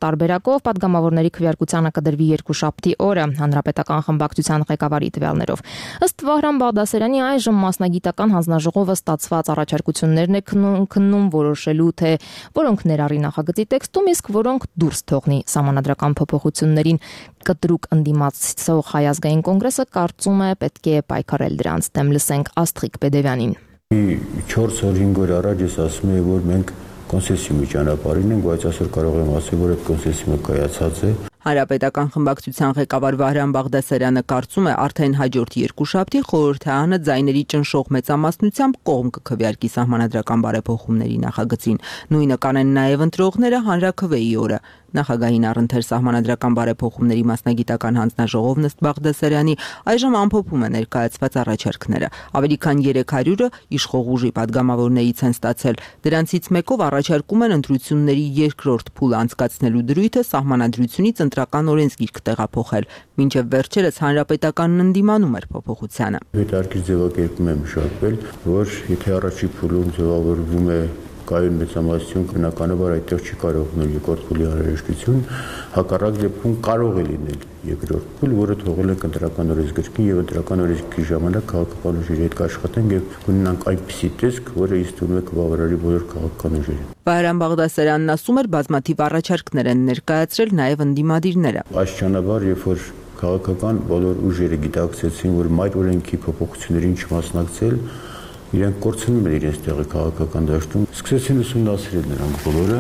Speaker 1: տարբերակով պատգամավորների քվեարկությանը կդրվի երկուշաբթի օրը հանրապետական խմբակցության ղեկավարի տվյալներով։ Ըստ Վահրամ Բաղդասարյանի այժմ մասնագիտական հանձնաժողովը ստացված առաջարկություններն է քննում որոշելու, թե որոնք ներառի նախագծի տեքստում, իսկ որոնք դուրս թողնի սահմանադրական փոփոխություններին։ Կտրուկ ընդդիմացող Հայ ազգային կոնգրեսը կարծում է պետք է պայքարել դրանց դեմ։ Լսենք Աստղիկ Պեդևյանին։
Speaker 18: 4-5 օր առաջ ես ասում եի, որ մենք կոնսեսիումի ճանապարհին ենք, բայց այսօր կարող եմ ասել, որ այդ կոնսեսիումը կայացած է։
Speaker 19: Հանրապետական խմբակցության ղեկավար Վահրամ Բաղդասարյանը կարծում է, արդեն հաջորդ երկուշաբթի խորհրդարանը ձայների ճնշող մեծամասնությամբ կողմ կքվեարկի սահմանադրական բարեփոխումների նախագծին։ Նույնը կանեն նաև ընտրողները հանրաքվեի օրը։ Նախագահին առընթեր սահմանադրական բարեփոխումների մասնագիտական հանձնաժողովն ըստ Բաղդասարյանի այժմ ամփոփում է ներկայացված առաջարկները։ Ավելի քան 300-ը իշխող ուժի падգամավորներից են ստացել։ Դրանցից մեկով առաջարկում են ընտրությունների երկրորդ փուլ անցկացնելու դրույթը սահմանադրությունից ընտրական օրենսգիրք տեղափոխել։ Մինչև վերջերս հանրապետականն ընդդիմանում էր փոփոխությանը։
Speaker 18: Հետարքիր ձևակերպում եմ մշակվել, որ եթե առաջի փուլում ձևավորվում է կայուն մեծամասնություն, բնականաբար այդտեղ չի կարող լինել երկրորդ փուլի անհրաժեշտություն, հակառակ դեպքում կարող է լինել երկրորդ փուլ, որը թողել ենք ընտրական օրենսգրքին եւ ընտրական օրենսգրքի ժամանակ քաղաքական ուժերի հետ կաշխատենք եւ կունենանք այնպիսի տեսք, որը ըստ ուրույն է կբավարարի բոլոր քաղաքական ուժերին։
Speaker 19: Վահրամ Բաղդասարյանն ասում էր, բազմաթիվ առաջարկներ են ներկայացրել նաեւ ընդդիմադիրները։
Speaker 18: Աստիճանաբար, երբ որ քաղաքական բոլոր ուժերը գիտակցեցին, որ այդ օրենքի փոփոխություններին չմասնակցել, իրենք կորցնում են իրենց տեղը քաղաքական դաշտում, սկսեցին ուսումնասիրել նրանք բոլորը,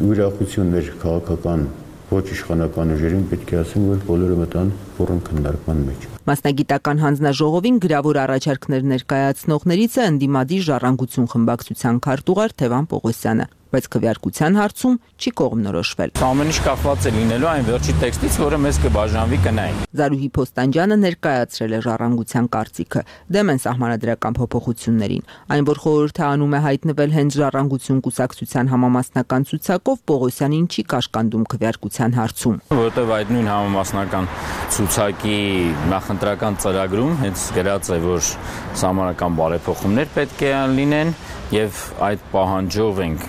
Speaker 18: ուրախություններ քաղաքական ոչ իշխանական ուժերին պետք է ասեմ, որ բոլորը մտան բուռն քննարկման մեջ։
Speaker 19: Մասնագիտական հանձնաժողովին գրավոր առաջարկներ ներկայացնողներից է ընդդիմադիր ժառանգություն խմբակցության քարտուղար Թևան Պողոսյանը, բայց քվեարկության հարցում չի կողմնորոշվել։
Speaker 20: Ամեն ինչ կախված է լինելու այն վերջի տեքստից, որը մեզ կբաժանվի կնային։
Speaker 19: Զարուհի Փոստանջյանը ներկայացրել է ժառանգության կարծիքը, դեմ են սահմանադրական փոփոխություններին։ Այն, որ խորհուրդը անում է հայտնվել հենց ժառանգություն կուսակցության համամասնական ցուցակով, Պողոսյանին չի կաշկանդում քվեարկության հարցում։
Speaker 20: Որովհետև այդ նույն համամասնական ցուցակի նախընտրական ծրագրում հենց գրած է, որ սահմանական բարեփոխումներ պետք է լինեն եւ այդ պահանջով ենք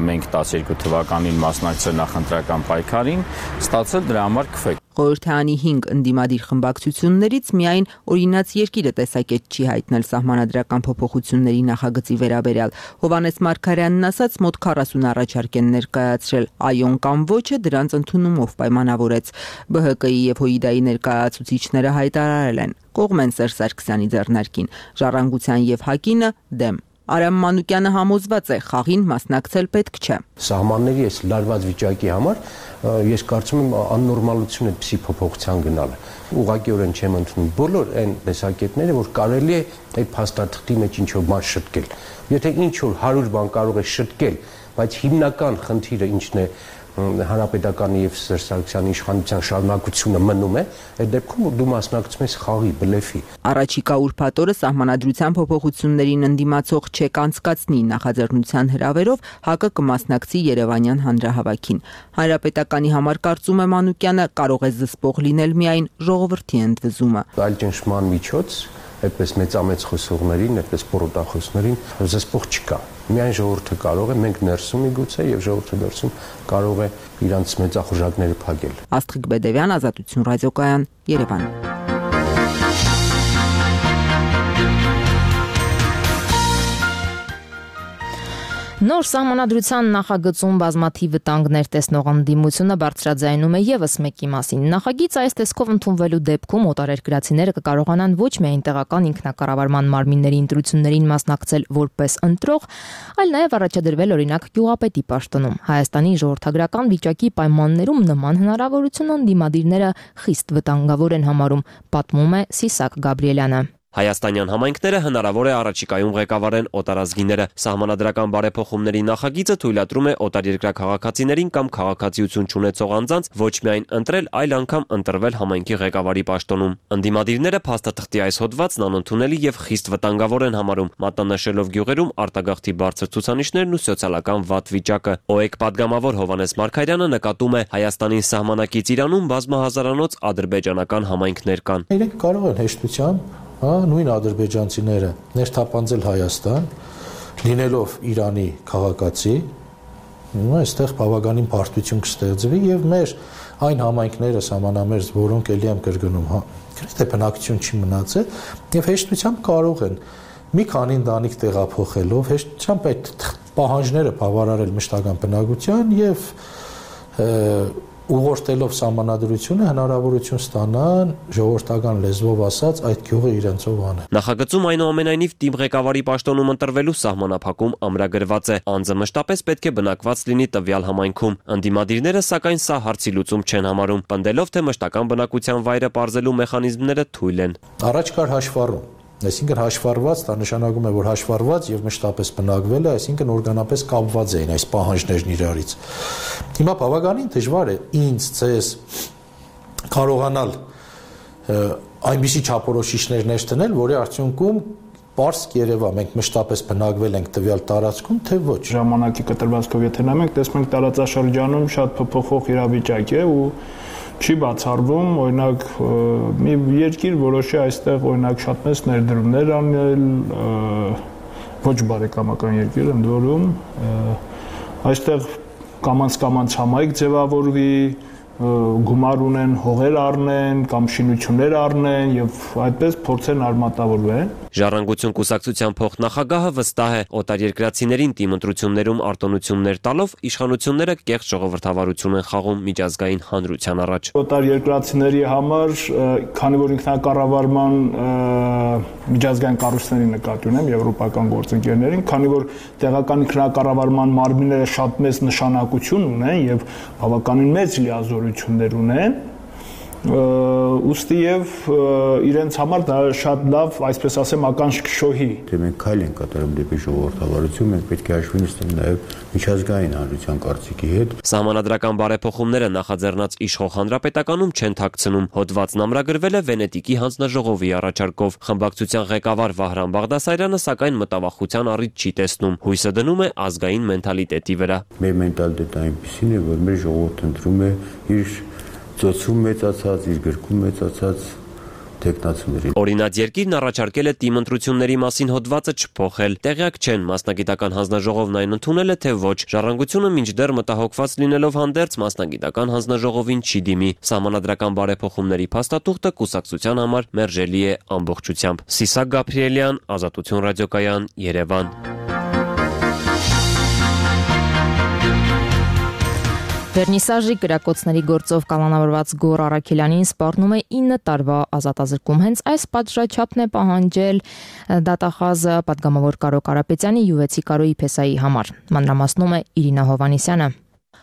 Speaker 20: մենք 12 թվականին մասնակցել նախընտրական պայքարին, ստացել դրա համար քվե։
Speaker 19: Խորհրդարանի 5 ընդդիմադիր խմբակցություններից միայն Օրինաց երկիրը տեսակետ չի հայտնել սահմանադրական փոփոխությունների նախագծի վերաբերյալ։ Հովհաննես Մարգարյանն ասաց, մոտ 40 առաջարկ են ներկայացրել, այոն կամ ոչը դրանց ընդունումով պայմանավորեց։ ԲՀԿ-ի եւ ՀՅԴ-ի ներկայացուցիչները հայտարարել են, կողմ են Սերժ Սարգսյանի ձեռնարկին, Ժառանգության եւ ՀԱԿ-ինը դեմ։ Արամ Մանուկյանը համոզված է, խաղին մասնակցել պետք չէ։
Speaker 21: Սահմանների այս լարված վիճակի համար ես կարծում եմ աննորմալություն է այդպիսի փոփոխության գնալը։ Ուղղակիորեն չեմ ընդունում բոլոր այն տեսակետները, որ կարելի է այդ փաստաթղթի մեջ ինչ-որ բան շտկել։ Եթե ինչ-որ 100 բան կարող է շտկել, բայց հիմնական խնդիրը ինչն է հանրապետականի եւ Սերժ Սարգսյանի իշխանության շարունակությունը մնում է, այդ դեպքում դու մասնակցում ես խաղի, բլեֆի։
Speaker 19: Առաջիկա ուրբաթ օրը սահմանադրության փոփոխություններին ընդդիմացող չեք անցկացնի նախաձեռնության հրավերով ՀԱԿ-ը կմասնակցի Երևանյան հանրահավաքին։ Հանրապետականի համար կարծում է Մանուկյանը, կարող է զսպող լինել միայն ժողովրդի ընդվզումը։
Speaker 21: Այլ ճնշման միջոց այդպես մեծամեծ խոսողներին, այդպես պորոտախոսներին զսպող չկա։ Միայն ժողովուրդը կարող է, մենք ներսում միգուցե եւ ժողովուրդը ներսում կարող է իրանց մեծախոժակները փակել։
Speaker 19: Աստղիկ Բեդևյան, Ազատություն ռադիոկայան, Երևան։
Speaker 1: Նոր սահմանադրության նախագծում բազմաթիվ վտանգներ տեսնող ընդդիմությունը բարձրաձայնում է եւս մեկի մասին։ Նախագիծը այս տեսքով ընդունվելու դեպքում օտարերկրացիները կկարողանան ոչ միայն տեղական ինքնակառավարման մարմինների ընտրություններին մասնակցել որպես ընտրող, այլ նաեւ առաջադրվել օրինակ գյուղապետի պաշտոնում։ Հայաստանի ժողովրդագրական վիճակի պայմաններում նման հնարավորություն ընդդիմադիրները խիստ վտանգավոր են համարում, պատմում է Սիսակ Գաբրիելյանը։
Speaker 22: Հայաստանյան համայնքները հնարավոր է առաջիկայում ղեկավարեն օտարազգիները։ Սահմանադրական բարեփոխումների նախագիծը թույլատրում է օտարերկրյա քաղաքացիներին կամ քաղաքացիություն չունեցող անձանց ոչ միայն ընտրել, այլ անգամ ընտրվել համայնքի ղեկավարի պաշտոնում։ Ընդդիմադիրները փաստաթղթի այս հոդվածն անընդունելի եւ խիստ վտանգավոր են համարում, մատնանշելով գյուղերում արտագաղթի բարձր ցուցանիշներն ու սոցիալական վատ վիճակը։ ՕԵԿ падգամավոր Հովհաննես Մարգարյանը նկատում է, Հայաստանի սահմանակից Իրանում բազմահազարանոց ադրբեջանական համայնքներ կան։
Speaker 23: Իրենք կարող են հեշտությամբ նույն ադրբեջանցիները ներթափանցել Հայաստան, լինելով Իրանի քաղաքացի, այստեղ բավականին բարդություն կստեղծվի եւ մեր այն համայնքները սահմանամերձ, որոնք ելի եմ կրկնում, գրեթե բնակչություն չի մնացել եւ հեշտությամբ կարող են մի քանի ընտանիք տեղափոխելով հեշտությամբ այդ պահանջները բավարարել մշտական բնակության եւ ուղղորդելով սահմանադրությունը հնարավորություն ստանան ժողովրդական լեզվով ասած այդ գյուղը իրենցով անել։
Speaker 22: Նախագծում այնուամենայնիվ թիմ ղեկավարի պաշտոնում ընտրվելու սահմանափակում ամրագրված է։ Անձը մշտապես պետք է բնակված լինի տվյալ համայնքում։ Ընդդիմադիրները սակայն սա հարցի լուծում չեն համարում, պնդելով թե մշտական բնակության վայրը պարզելու մեխանիզմները թույլ են։
Speaker 23: Առաջ կար հաշվառում, Այսինքն հաշվառված, դա նշանակում է, որ հաշվառված եւ մշտապես բնակվել է, այսինքն օրգանապես կապված էին այս պահանջներն իրարից։ Հիմա բավականին դժվար է ինձ, ձեզ կարողանալ այնպիսի չափորոշիչներ ներդնել, որի արդյունքում պարզ կերևա մենք մշտապես բնակվել ենք տվյալ տարածքում, թե ոչ։
Speaker 2: Ժամանակի կտրվածքով եթե նայում ենք, տեսնում ենք տարածաշրջանում շատ փոփոխող իրավիճակ է ու չի բացառվում, օրինակ մի երկիր որոշի այստեղ օրինակ շատ մեծ ներդրումներ անել, ոչ բարեկամական երկիր ընդ որում, այստեղ կամանց համայնք ձևավորվի, գումար ունեն, հողեր առնեն կամ շինություններ առնեն եւ այդպես փորձեն արմատավորվեն։
Speaker 22: Ժառանգություն կուսակցության փոխնախագահը վստահ է, օտարերկրացիներին թիմ ընտրություններում արտոնություններ տալով իշխանությունները կեղծ ժողովրդավարություն են խաղում միջազգային հանրության առաջ։
Speaker 2: Օտարերկրացիների համար, քանի որ ինքնակառավարման միջազգային կառույցների նկատի ունեմ եվրոպական գործընկերներին, քանի որ տեղական ինքնակառավարման մարմինները շատ մեծ նշանակություն ունեն եւ բավականին մեծ լիազորություններ ունեն, ուստի եւ իրենց համար դա շատ լավ, այսպես ասեմ, ականջքշոհի։
Speaker 18: Դե մենք քայլ ենք կատարում դեպի ժողովրդավարություն, մենք պետք է հաշվի նստենք նաեւ միջազգային հանրության կարծիքի հետ։
Speaker 22: Սահմանադրական բարեփոխումները նախաձեռնած իշխող հանրապետականում չեն թաքցնում։ Հոդվածն ամրագրվել է Վենետիկի հանձնաժողովի առաջարկով։ Խմբակցության ղեկավար Վահրամ Բաղդասարյանը սակայն մտավախության առիթ չի տեսնում։ Հույսը դնում է ազգային մենթալիտետի վրա։
Speaker 18: Մեր մենտալիտետը այնպեսին է, որ մեր ժողովուրդը ընտրում է իր ծոցում մեծացած, իր գրքում մեծացած տեխնացուներին։
Speaker 22: Օրինաց երկիրն առաջարկել է թիմ ընտրությունների մասին հոդվածը չփոխել։ Տեղյակ չեն, մասնագիտական հանձնաժողովն այն ընդունել է, թե ոչ։ Ժառանգությունը մինչդեռ մտահոգված լինելով հանդերձ մասնագիտական հանձնաժողովին չի դիմի։ Սահմանադրական բարեփոխումների փաստաթուղթը կուսակցության համար մերժելի է ամբողջությամբ։ Սիսակ Գաբրիելյան, Ազատություն ռադիոկայան, Երևան։
Speaker 1: Վերնիսաժի կրակոցների գործով կալանավորված Գոռ Արաքելյանին սպառնում է 9 տարվա ազատազրկում։ Հենց այս պատժաչափն է պահանջել դատախազը պատգամավոր Կարո Կարապետյանի յուվեցի Կարոյի Փեսայի համար։ Մանրամասնում է Իրինա Հովանիսյանը։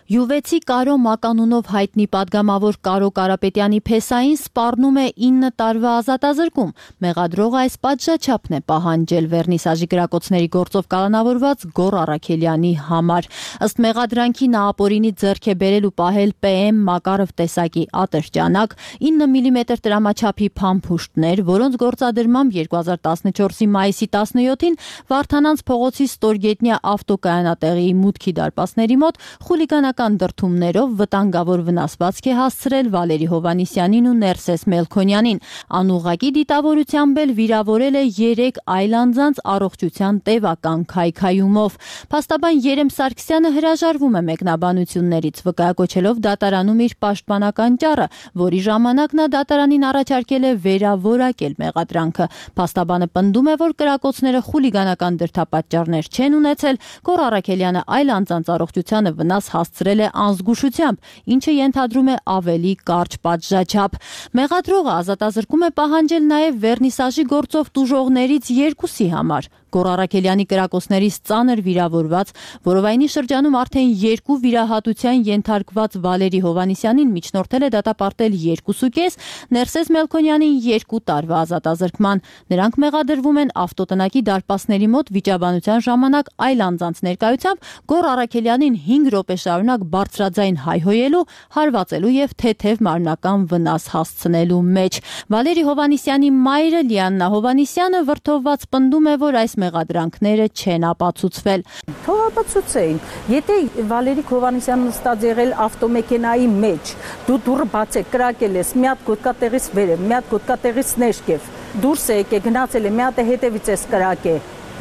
Speaker 9: Յուվեցի Կարո մականունով հայտնի պատգամավոր Կարո Կարապետյանի Փեսային սպառնում է 9 տարվա ազատազրկում։ Մեղադրողը այս պատժաչափն է պահանջել Վերնիսաժի կրակոցների գործով կալանավորված Գոռ Արաքելյանի համար։ Ըստ մեղադրանքի նա ապօրինի ձեռք է բերել ու պահել PM Մակարով տեսակի ատրճանակ, 9 մմ տրամաչափի փամփուշտներ, որոնց գործադրմամբ 2014-ի մայիսի 17-ին Վարդանանց փողոցի Ստորգետնյա ավտոկայանատեղիի մուտքի դարպասների մոտ խուլիգանական դրդումներով վտանգավոր վնասվածք է հասցրել Վալերի Հովանիսյանին ու Ներսես Մելքոնյանին։ Անուղղակի դիտավորությամբ էլ վիրավորել է 3 այլ անձանց առողջության տևական քայքայումով։ Փաստաբան Երեմ Սարգսյանը հրաժարվում է մեկնաբանություններից, վկայակոչելով դատարանում իր պաշտպանական ճառը, որի ժամանակ նա դատարանին առաջարկել է վերավորակել մեղադրանքը։ Փաստաբանը պնդում է, որ կրակոցները խուլիգանական դրդապատճառներ չեն ունեցել, Գոռ Արաքելյանը այլ անձանց առողջությանը վնաս հասցրել է անզգուշությամբ, ինչը ենթադրում է ավելի կարճ պատժաչափ։ Մեղադրողը ազատազրկում է պահանջել նաև Վերնիսաժի գործով տուժողներից 2-ի համար։ Գոռ Արաքելյանի կրակոցներից ծանր վիրավորված, որովայնի շրջանում արդեն 2 վիրահատության ենթարկված Վալերի Հովանիսյանին միջնորդել է դատապարտել 2.5, Ներսես Մելքոնյանին 2 տարվա ազատազրկման։ Նրանք մեղադրվում են ավտոտնակի դարպասների մոտ վիճաբանության ժամանակ այլ անձանց ներկայությամբ Գոռ Արաքելյանին 5 րոպե շարունակ բարձրաձայն հայհոյելու, հարվածելու եւ թեթև մարմնական վնաս հասցնելու մեջ։ Վալերի Հովանիսյանի մայրը Լիաննա Հովանիսյանը վրդովված պնդում է, որ այս մեղադրանքները չեն ապացուցվել։
Speaker 4: Թող ապացուցեին։ Եթե Վալերի Հովանիսյանը նստած եղել ավտոմեքենայի մեջ, դու դուռը բացեք, կրակել ես, մի հատ գոտկատեղից վերև, մի հատ գոտկատեղից ներքև, դուրս է եկել, գնացել է, մի հատ հետևից էս կրակե։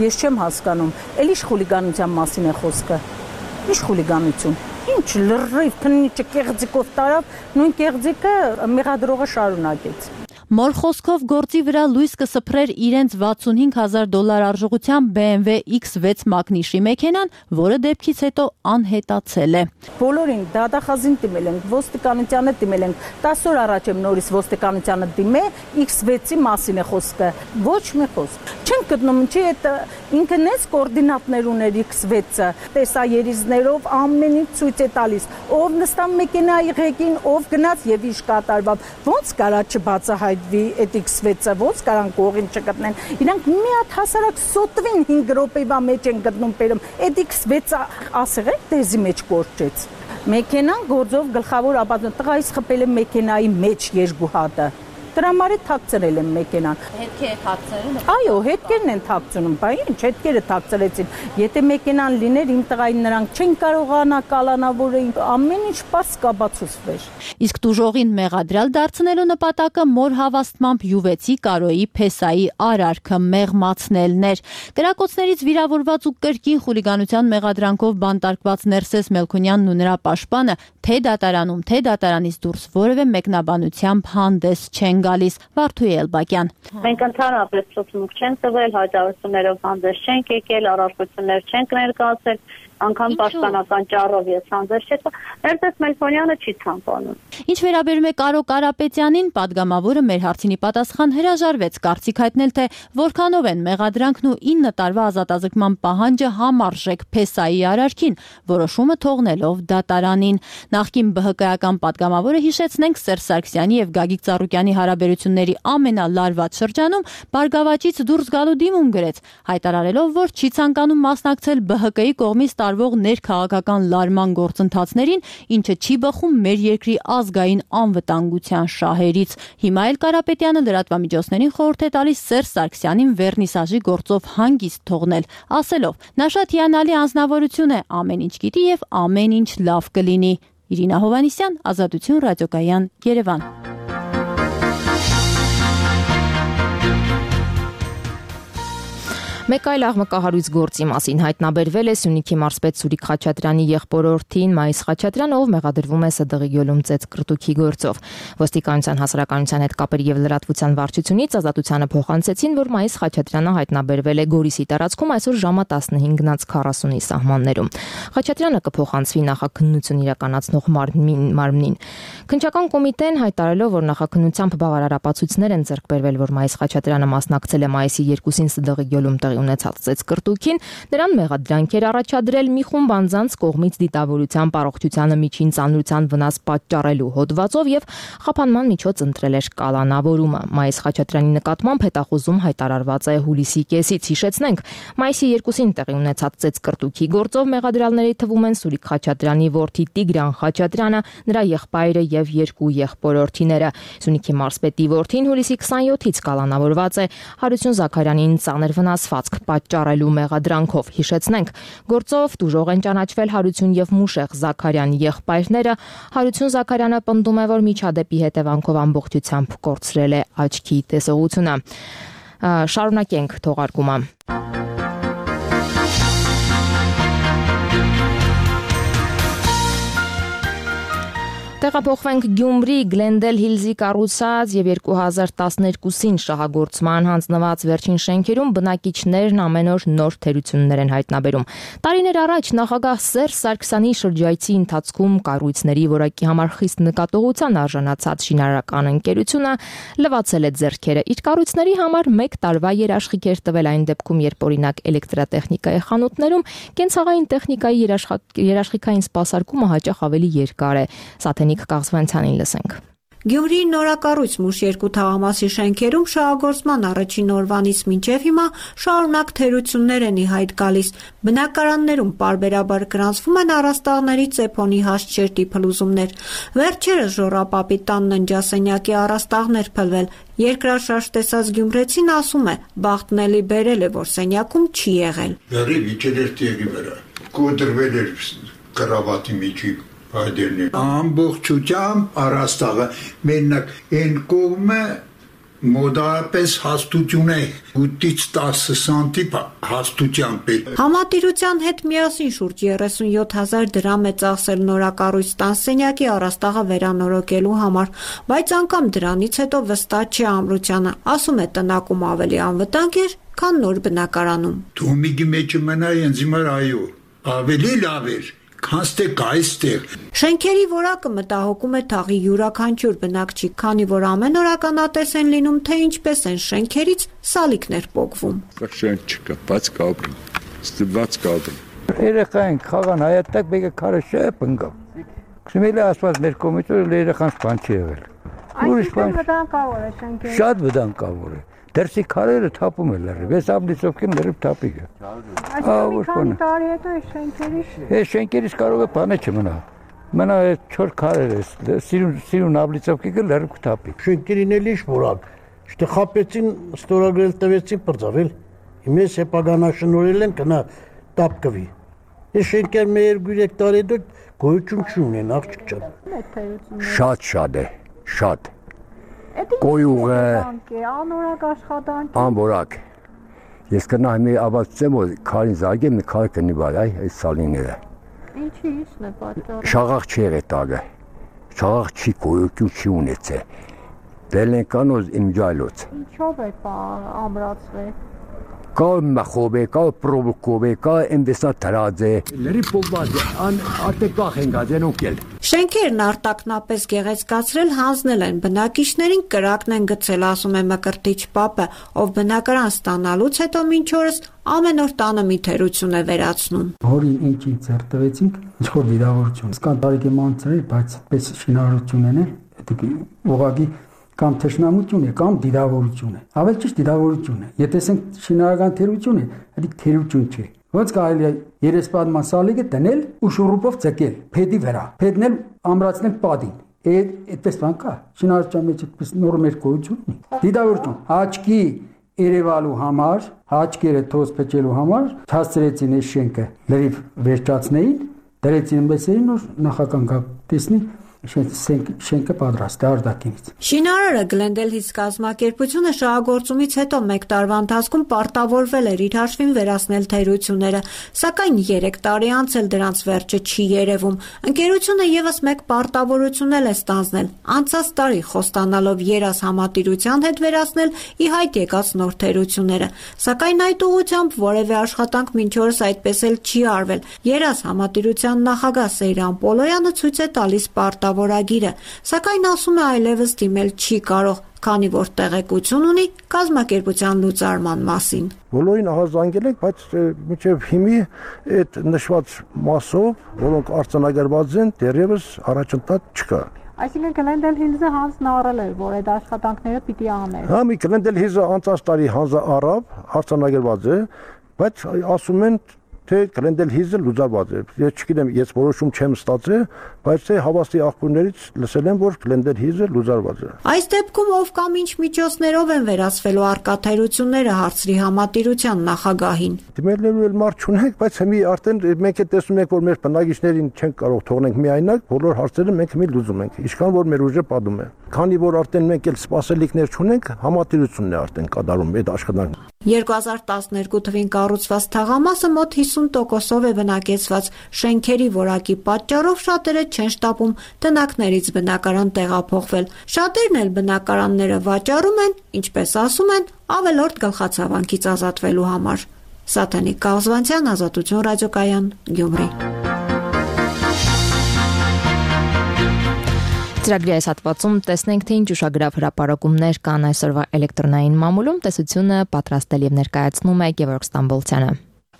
Speaker 4: Ես չեմ հասկանում, էլ ի՞նչ խուլիգանության մասին է խոսքը։ Ինչ խուլիգանություն։ Ինչ լրիվ քննիչը կեղծիկով տարավ, նույն կեղծիկը մեղադրողը շարունակեց։
Speaker 9: Մոր խոսքով գործի վրա լույս կսփռեր իրենց $65,000 արժողությամբ BMW X6 մակնիշի մեքենան, որը դեպքից հետո անհետացել է։
Speaker 4: Բոլորին դատախազին դիմել ենք, ոստիկանությանը դիմել ենք, 10 օր առաջ եմ նորից ոստիկանությանը դիմել, X6-ի մասին է խոսքը, ոչ մի խոսք։ Չեն գտնում, ինչի այդ ինքն էս կոորդինատներ ուներ X6-ը, տեսաերիզներով ամեն ինչ ցույց է տալիս, ով նստան մեքենայի ղեկին, ով գնաց եւ ինչ կատարվավ։ Ոնց կարա չբացահայտ բերվի այդ X6-ը, ոնց կարան կողին չգտնեն։ Իրանք մի հատ հասարակ սոտվին 5 րոպեվա մեջ են գտնում բերում։ Այդ X6-ը ասեղեք դեզի մեջ կորճեց։ Մեքենան գործով գլխավոր ապացույց տղայից խփել է մեքենայի մեջ երկու հատը։ Դրա համար թաքցրել են մեքենան։
Speaker 9: Հետքի է թաքցրել։
Speaker 4: Այո, հետքերն են թաքցնում, բայց ինչ հետքերը թաքցրեցին։ Եթե մեքենան լիներ, իմ տղային նրանք չեն կարողանա կալանավորել, ամեն ինչ պարզ կաբացուցվեր։
Speaker 9: Իսկ տուժողին մեղադրյալ դարձնելու նպատակը մոր հավաստմամբ յուվեցի Կարոյի Փեսայի արարքը մեղմացնելն էր։ Կրակոցներից վիրավորված ու կրկին խուլիգանության մեղադրանքով բանտարկված Ներսես Մելքոնյանն ու նրա պաշտպանը թե դատարանում, թե դատարանից դուրս որևէ մեկնաբանությամբ հանդես չեն գալիս։ Վարդուհի Էլբակյան։
Speaker 5: Մենք ընդհանրապես ցուցմունք չենք տվել, հայտարարություններով հանդես չենք եկել, առարկություններ չենք ներկայացել, անգամ պաշտպանական ճառով ես հանդես չեկա, Ներսես Մելքոնյանը չի ցանկանում։
Speaker 9: Ինչ վերաբերում է Կարո Կարապետյանին, падգամավորը մեր հարցինի պատասխան հրաժարվեց կարծիք հայտնել, թե որքանով են մեղադրանքն ու 9 տարվա ազատազրկման պահանջը համարժեք Փեսայի արարքին, որոշումը թողնելով դատարանին։ Նախկին ԲՀԿ-ական падգամավորը հիշեցնենք Սերժ Սարգսյանի եւ Գագիկ Ծառուկյանի հարաբերությունների ամենալարված շրջանում բարգավաճից դուրս գալու դիմում գրեց, հայտարարելով, որ չի ցանկանում մասնակցել ԲՀԿ-ի կողմից տարվող ներքաղաքական լարման գործընթացներին, ինչը չի բխում մեր երկրի ազգային անվտանգության շահերից։ Հիմա էլ Կարապետյանը լրատվամիջոցներին խորհուրդ է տալիս Սերժ Սարգսյանին վերնիսաժի գործով հանգիստ թողնել, ասելով. նա շատ հիանալի անձնավորություն է, ամեն ինչ գիտի եւ ամեն ինչ լավ կլինի։ Իրինա Հովանիսյան, Ազատություն ռադիոկայան, Երևան։
Speaker 1: Մեկ այլ աղմկահարույց գործի մասին հայտնաբերվել է Սյունիքի մարզպետ Սուրիկ Խաչատրյանի եղբորորդին Մայիս Խաչատրյանը, ով մեղադրվում է ՍԴՂ Գյոլում ծեծկռտուքի գործով։ Ոստիկանության հասարակայնության հետ կապերի եւ լրատվության վարչությունից Ազատությանը փոխանցեցին, որ Մայիս Խաչատրյանը հայտնաբերվել է Գորիսի տարածքում այսօր ժամը 15:40-ի սահմաններում։ Խաչատրյանը կփոխանցվի նախաքննություն իրականացնող մարմնին։ Քննչական կոմիտեն հայտարարելով, որ նախաքննությամբ բավարար ապացույցներ են ձեռք բերվել, որ Մայիս Խաչատրյանը մասնակցել է մայիսի 2-ին ՍԴՂ Գյոլում ունեցած ծեծկռտուքին, նրան մեղադրանք էր առաջադրել մի խումբ անձանց կողմից դիտավորության, առողջությանը միջին ծանրության վնաս պատճառելու հոդվածով եւ խափանման միջոց ընտրել էր կալանավորումը։ Մայիս Խաչատրյանի նկատմամբ հետախուզում հայտարարված է հուլիսի կեսից։ Հիշեցնենք, մայիսի 2-ին տեղի ունեցած ծեծկռտուքի գործով մեղադրյալների թվում են Սուրիկ Խաչատրյանի որդի Տիգրան Խաչատրյանը, նրա եղբայրը եւ 2 եղբորորդիները։ Սյունիքի մարզպետի որդին հուլիսի 27-ից կալանավորված է Հարություն Զաքարյանին ծանր վնասված պատճառելու մեղադրանքով։ Հիշեցնենք, գործով տուժող են ճանաչվել Հարություն եւ Մուշեղ Զաքարյան եղբայրները։ Հարություն Զաքարյանը պնդում է, որ միջադեպի հետևանքով ամբողջությամբ կորցրել է աչքի տեսողությունը։ Շարունակենք թողարկումը։ Տեղափոխվենք Գյումրի, Գլենդել Հիլզի կառուցած եւ 2012-ին շահագործման հանձնված վերջին շենքերում բնակիչներն ամեն օր նոր թերություններ են հայտնաբերում։ Տարիներ առաջ նախագահ Սերժ Սարգսյանի շրջայցի ընթացքում կառույցների որակի համար խիստ նկատողության արժանացած շինարարական ընկերությունը լվացել է ձեռքերը։ Իր կառույցների համար 1 տարվա երաշխիք էր տվել այն դեպքում, երբ օրինակ էլեկտրատեխնիկայի խանութներում կենցաղային տեխնիկայի երաշխիքային սպասարկումը հաճախ ավելի երկար է։ Սաթենիկ Կաղզվանցյանին լսենք։
Speaker 6: Գյումրիի նորակառույց Մուշ 2 թաղամասի շենքերում շահագործման առաջին օրվանից մինչև հիմա շարունակ թերություններ են ի հայտ գալիս։ Բնակարաններում պարբերաբար գրանցվում են առաստաղների ծեփոնի հաստ փլուզումներ։ Վերջերս Ժոռապապի տան ննջասենյակի առաստաղներ փլվել։ Երկրաշարժ տեսած գյումրեցին ասում է, բախտն էլի բերել է, որ սենյակում չի եղել։
Speaker 7: Բերի վիճել էր տեղի վրա, կոտրվել էր կրավատի միջի ամբողջությամբ առաստաղը մենակ այն կողմը մոդարապես հաստություն է 8-ից 10 սանտիմ հաստությամբ է։
Speaker 6: Համատիրության հետ միասին շուրջ 37,000 դրամ է ծախսել նորակառույց տանսենյակի առաստաղը վերանորոգելու համար, բայց անգամ դրանից հետո վստահ չի ամրությանը, ասում է տնակում ավելի անվտանգ էր, քան նոր բնակարանում։
Speaker 7: Թոմիգի մեջը մնայ ինձ մար այո, ավելի լավ էր։
Speaker 6: Շենքերի որակը մտահոգում է թաղի յուրաքանչյուր բնակչի, քանի որ ամեն օր ականատես են լինում, թե ինչպես են շենքերից սալիկներ պոկվում։
Speaker 24: Շենք չկա, բաց կապրում, ստված կապրում։
Speaker 25: Երեխային խաղան հայատակ բեկը քարը շեպ ընկավ։ Քսմելի ասված մեր կոմիտորը երեխանց բան չի եղել։ Ուրիշ բան։
Speaker 4: Վտանգավոր է շենքերը։
Speaker 25: Շատ վտանգավոր է։ Դերսի քարերը թափում են լրիվ, այս ամնիցովքին լրիվ թափիկ է։
Speaker 4: Այսօր քանի տարի հետո է շենքերի։
Speaker 25: Այս շենքերից կարող է բանը չմնա։ Մնա այդ 4 քարերը, սիրուն ամնիցովքին լրիվ թափիկ։
Speaker 3: Շենքերին էլ ինչ որակ։ Շտե խապեցին, ստորագրել տվեցին բրձավել։ Հիմես հեպագանաշնորհել են գնա տապկվի։ Այս շենքեր մեր 2-3 տարի հետո գոյություն չունեն, աղջիկ ջան։
Speaker 8: Շատ է, շատ։ Կոյուղ է,
Speaker 4: անորակ աշխատանք։
Speaker 8: անորակ։ Ես կնայեմ ավարտեմ, որ քարին զարգեմ, քար կնի վար, այս սալիները։
Speaker 4: Ինչի՞ն է պատճառը։
Speaker 8: Շաղախ չի եղել տագը։ Շաղախ չի գոյություն չի ունեցել։ Դել են կանոզ իմջայլոց։
Speaker 4: Ինչով է ամրացվել։
Speaker 8: Կա մախով է, կա պրովոկով է, կա ինվեստա դրած է։ Լրի փոքված է, արտեկախ են գազեն ուկել։
Speaker 6: Շենքերն արտակնապես գեղեցկացրել հանձնել են բնակիչներին, կրակն են գցել, ասում է Մկրտիչ Պապը, ով բնակարան ստանալուց հետո մինչ օրս ամեն օր տանը մի թերություն է վերացնում։
Speaker 10: Հորին ինչ ձեռք տվեցինք, ինչ-որ վիրավորություն։ Սկան տարիքի մանցրել, բայց պես շինարարություն են, ուղղակի կամ թշնամություն է, կամ դիդավորություն է։ Ավելի ճիշտ դիդավորություն է։ Եթե ասենք շինարարական թերություն է, դա թերություն չէ։ Ոնց կարելի է երեսպատման սալիկը դնել ու շուռուպով ցկել, փեդի վրա։ Փեդն էլ ամրացնել պատին։ Այդպես բան կա։ Շինարարության մեջ այդպես նորմեր գոյություն ունի։ Դիդավորություն, աչքի երևալու համար, աչքերը թոզ փչելու համար հասցրեցին այս շենքը լրիվ վերջացնեին, դրեցին մեծերին որ նախական տեսնի շենքը պատրաստ է արտաքինից։
Speaker 6: Շինարարը Գլենդելհիթ կազմակերպությունը շահագործումից հետո 1 տարվա ընթացքում պարտավորվել էր իր հաշվին վերացնել թերությունները, սակայն 3 տարի անց էլ դրանց վերջը չի երևում։ Ընկերությունը եւս մեկ պարտավորություն էլ է ստանձնել՝ անցած տարի խոստանալով երազ համատիրության հետ վերացնել ի հայտ եկած նոր թերությունները, սակայն այդ ուղղությամբ որևէ աշխատանք մինչ օրս այդպես էլ չի արվել։ Երազ համատիրության նախագահ Սեյրան Պոլոյանը ցույց է տալիս որագիրը, սակայն ասում է այլևս դիմել չի կարող, քանի որ տեղեկություն ունի կազմակերպության լուծարման մասին։
Speaker 11: Բոլորին ահազանգել ենք, բայց մինչև հիմի այդ նշված մասով, որոնք արձանագրված են, դեռևս առաջընթաց չկա։
Speaker 4: Այսինքն Գլենդելհիլզը հանձնարարել էր, որ այդ աշխատանքները պիտի աներ։
Speaker 11: Հա, մի Գլենդելհիլզը անցած տարի հանձնարարավ, արձանագրված է, բայց ասում են թե Գլենդելհիլզը լուծարված է։ Ես չգիտեմ, ես որոշում չեմ ստացել, բայց թե հավաստի աղբյուրներից լսել եմ, որ Գլենդելհիլզը լուծարված է։
Speaker 6: Այս դեպքում ով կամ ինչ միջոցներով են վերացվելու արկաթերությունները հարցրի համատիրության նախագահին։
Speaker 11: Դիմելու էլ մարդ չունենք, բայց հիմի արդեն մենք է տեսնում ենք, որ մեր բնակիչներին չենք կարող թողնենք միայնակ, բոլոր հարցերը մենք հիմի լուծում ենք, ինչքան որ մեր ուժը պատում է։ Քանի որ արդեն մենք էլ սպասելիքներ չունենք, համատիրությունն է արդեն կատարում այդ աշխատանքը։
Speaker 6: 2012 թվին կառուցված թաղամասը մոտ 50%-ով է բնակեցված։ Շենքերի որակի պատճառով շատերը չեն շտապում տնակներից բնակարան տեղափոխվել։ Շատերն էլ բնակարանները վաճառում են, ինչպես ասում են, ավելորդ գլխացավանքից ազատվելու համար։ Սաթենիկ Կազվանցյան, Ազատություն ռադիոկայան, Գյումրի։
Speaker 1: Ծրագրի այս հատվածում տեսնենք, թե ինչ ուշագրավ հրապարակումներ կան այսօրվա էլեկտրոնային մամուլում, տեսությունը պատրաստել եւ ներկայացնում է Գևորգ Ստամբոլցյանը։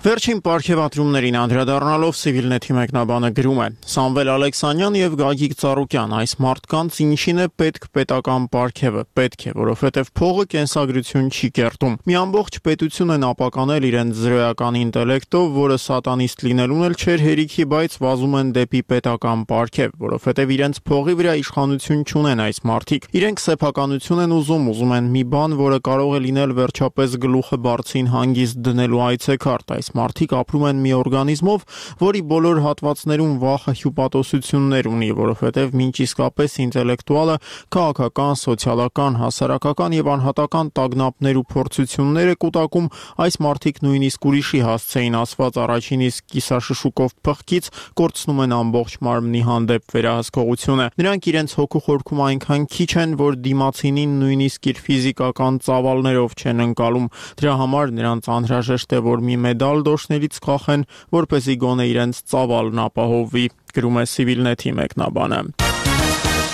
Speaker 13: Վերջին պարգևատրումներին անդրադառնալով Civilnet-ի մեկնաբանը գրում է. Սամվել Ալեքսանյան եւ Գագիկ Ծառուկյան, այս մարդկանց ինչին է պետք պետական պարգևը, պետք է, որովհետեւ փողը կենսագրություն չի կերտում։ Մի ամբողջ պետություն են ապականել իրենց զրոյական ինտելեկտով, որը սատանիստ լինելուն էլ չէր հերիքի, բայց վազում են դեպի պետական պարգև, որովհետեւ իրենց փողի վրա իշխանություն չունեն այս մարդիկ։ Իրենք սեփականություն են ուզում են մի բան, որը կարող է լինել վերջապես գլուխը բարձին հանգիստ դնելու այցեքարտ։ Այս մարդիկ ապրում են մի օրգանիզմով, որի բոլոր հատվածներում վախը հյուպատոսություններ ունի, որովհետև մինչ իսկապես ինտելեկտուալը քաղաքական, սոցիալական, հասարակական եւ անհատական տագնապներ ու փորձությունները կուտակում, այս մարդիկ նույնիսկ ուրիշի հասցեին ասված առաջին իսկ կիսաշշուկով փղկից կորցնում են ամբողջ մարմնի հանդեպ վերահսկողությունը։ Նրանք իրենց հոգու խորքում այնքան քիչ են, որ դիմացինին նույնիսկ իր ֆիզիկական ծավալներով չեն ընկալում։ Դրա համար նրանց անհրաժեշտ է, որ մի մեդալ դոշներից կախեն, որպեսզի գոնե իրենց ծավալն ապահովվի, գրում է Civilnet-ի մեկնաբանը։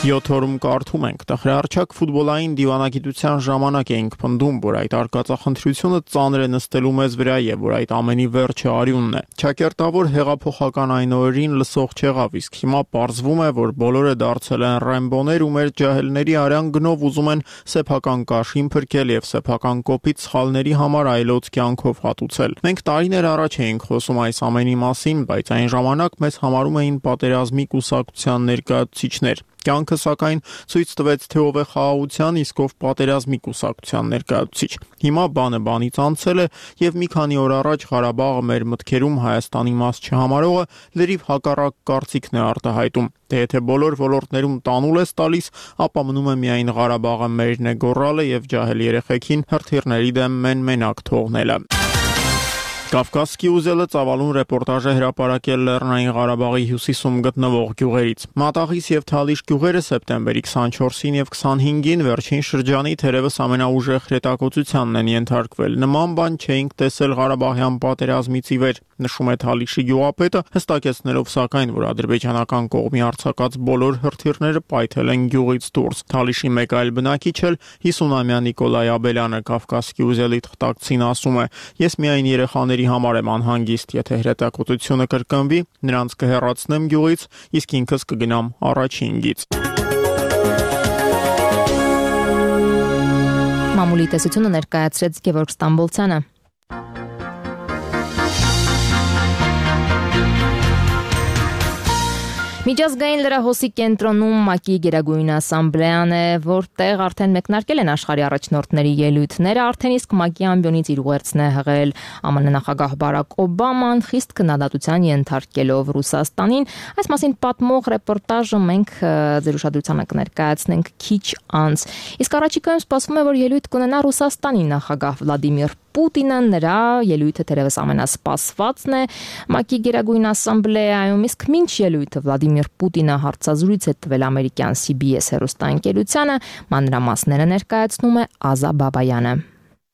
Speaker 13: 7 օրում կարդում ենք, տխրահարչակ ֆուտբոլային դիվանագիտության ժամանակ էինք պնդում, որ այդ արկածախնդրությունը ծանր է նստելու մեզ վրա եւ որ այդ ամենի վերջը արյունն է։ Չակերտավոր հեղափոխական այն օրերին լսող չեղավ, իսկ հիմա պարզվում է, որ բոլորը դարձել են ռեմբոներ ու մեր ջահելների արյան գնով ուզում են սեփական կաշին փրկել եւ սեփական կոպիտ սխալների համար այլոց կյանքով հատուցել։ Մենք տարիներ առաջ էինք խոսում այս ամենի մասին, բայց այն ժամանակ մեզ համարում էին պատերազմի կուսակցության ներկայացուցիչներ։ Կյանքը սակայն ցույց տվեց, թե ով է խաղաղության, իսկ ով պատերազմի կուսակցության ներկայացուցիչ։ Հիմա բանը բանից անցել է եւ մի քանի օր առաջ Ղարաբաղը մեր մտքերում Հայաստանի մաս չհամարողը լրիվ հակառակ կարծիքն է արտահայտում։ Թե եթե բոլոր ոլորտներում տանուլ ես տալիս, ապա մնում է միայն Ղարաբաղը մերն է գոռալը եւ ջահել երեխեքին հրթիռների դեմ մենակ թողնելը։ Կավկասկի ուզելը ծավալուն ռեպորտաժ է հրապարակել Լեռնային Ղարաբաղի հյուսիսում գտնվող գյուղերից։ Մատաղիս եւ Թալիշ գյուղերը սեպտեմբերի 24-ին եւ 25-ին վերջին շրջանի թերևս ամենաուժեղ հրետակոծությանն են ենթարկվել։ Նման բան չէինք տեսել Ղարաբաղյան պատերազմից ի վեր, նշում է Թալիշի գյուղապետը, հստակեցնելով սակայն, որ ադրբեջանական կողմի արձակած բոլոր հրթիռները պայթել են գյուղից դուրս։ Թալիշի մեկ այլ բնակիչ էլ 50-ամյա Նիկոլայ Աբելյանը Կավկասկի ուզելի թղթակցին ասում է. «Ես միայն երեխաների համար եմ անհանգիստ, եթե հրետակոծությունը կրկնվի, նրանց կհեռացնեմ գյուղից, իսկ ինքս կգնամ առաջին գիծ»։
Speaker 1: Մամուլի տեսությունը ներկայացրեց Գևորգ Ստամբոլցյանը։ Միջազգային լրահոսի կենտրոնում ՄԱԿ-ի Գերագույն ասամբլեան է, որտեղ արդեն մեկնարկել են աշխարհի առաջնորդների ելույթները, արդեն իսկ ՄԱԿ-ի ամբիոնից իր ուղերձն է հղել ԱՄՆ նախագահ Բարակ Օբաման, խիստ քննադատության ենթարկելով Ռուսաստանին։ Այս մասին պատմող ռեպորտաժը մենք ձեր ուշադրությանը կներկայացնենք քիչ անց։ Իսկ առաջիկայում սպասվում է, որ ելույթ կունենա Ռուսաստանի նախագահ Վլադիմիր Պուտինը, նրա ելույթը թերևս ամենասպասվածն է ՄԱԿ-ի Գերագույն ասամբլեայում, իսկ մինչ ելույթը Վլադիմիր Պուտինը հարցազրույց է տվել ամերիկյան CBS հեռուստաընկերությանը, մանրամասները ներկայացնում է Ազա Բաբայանը։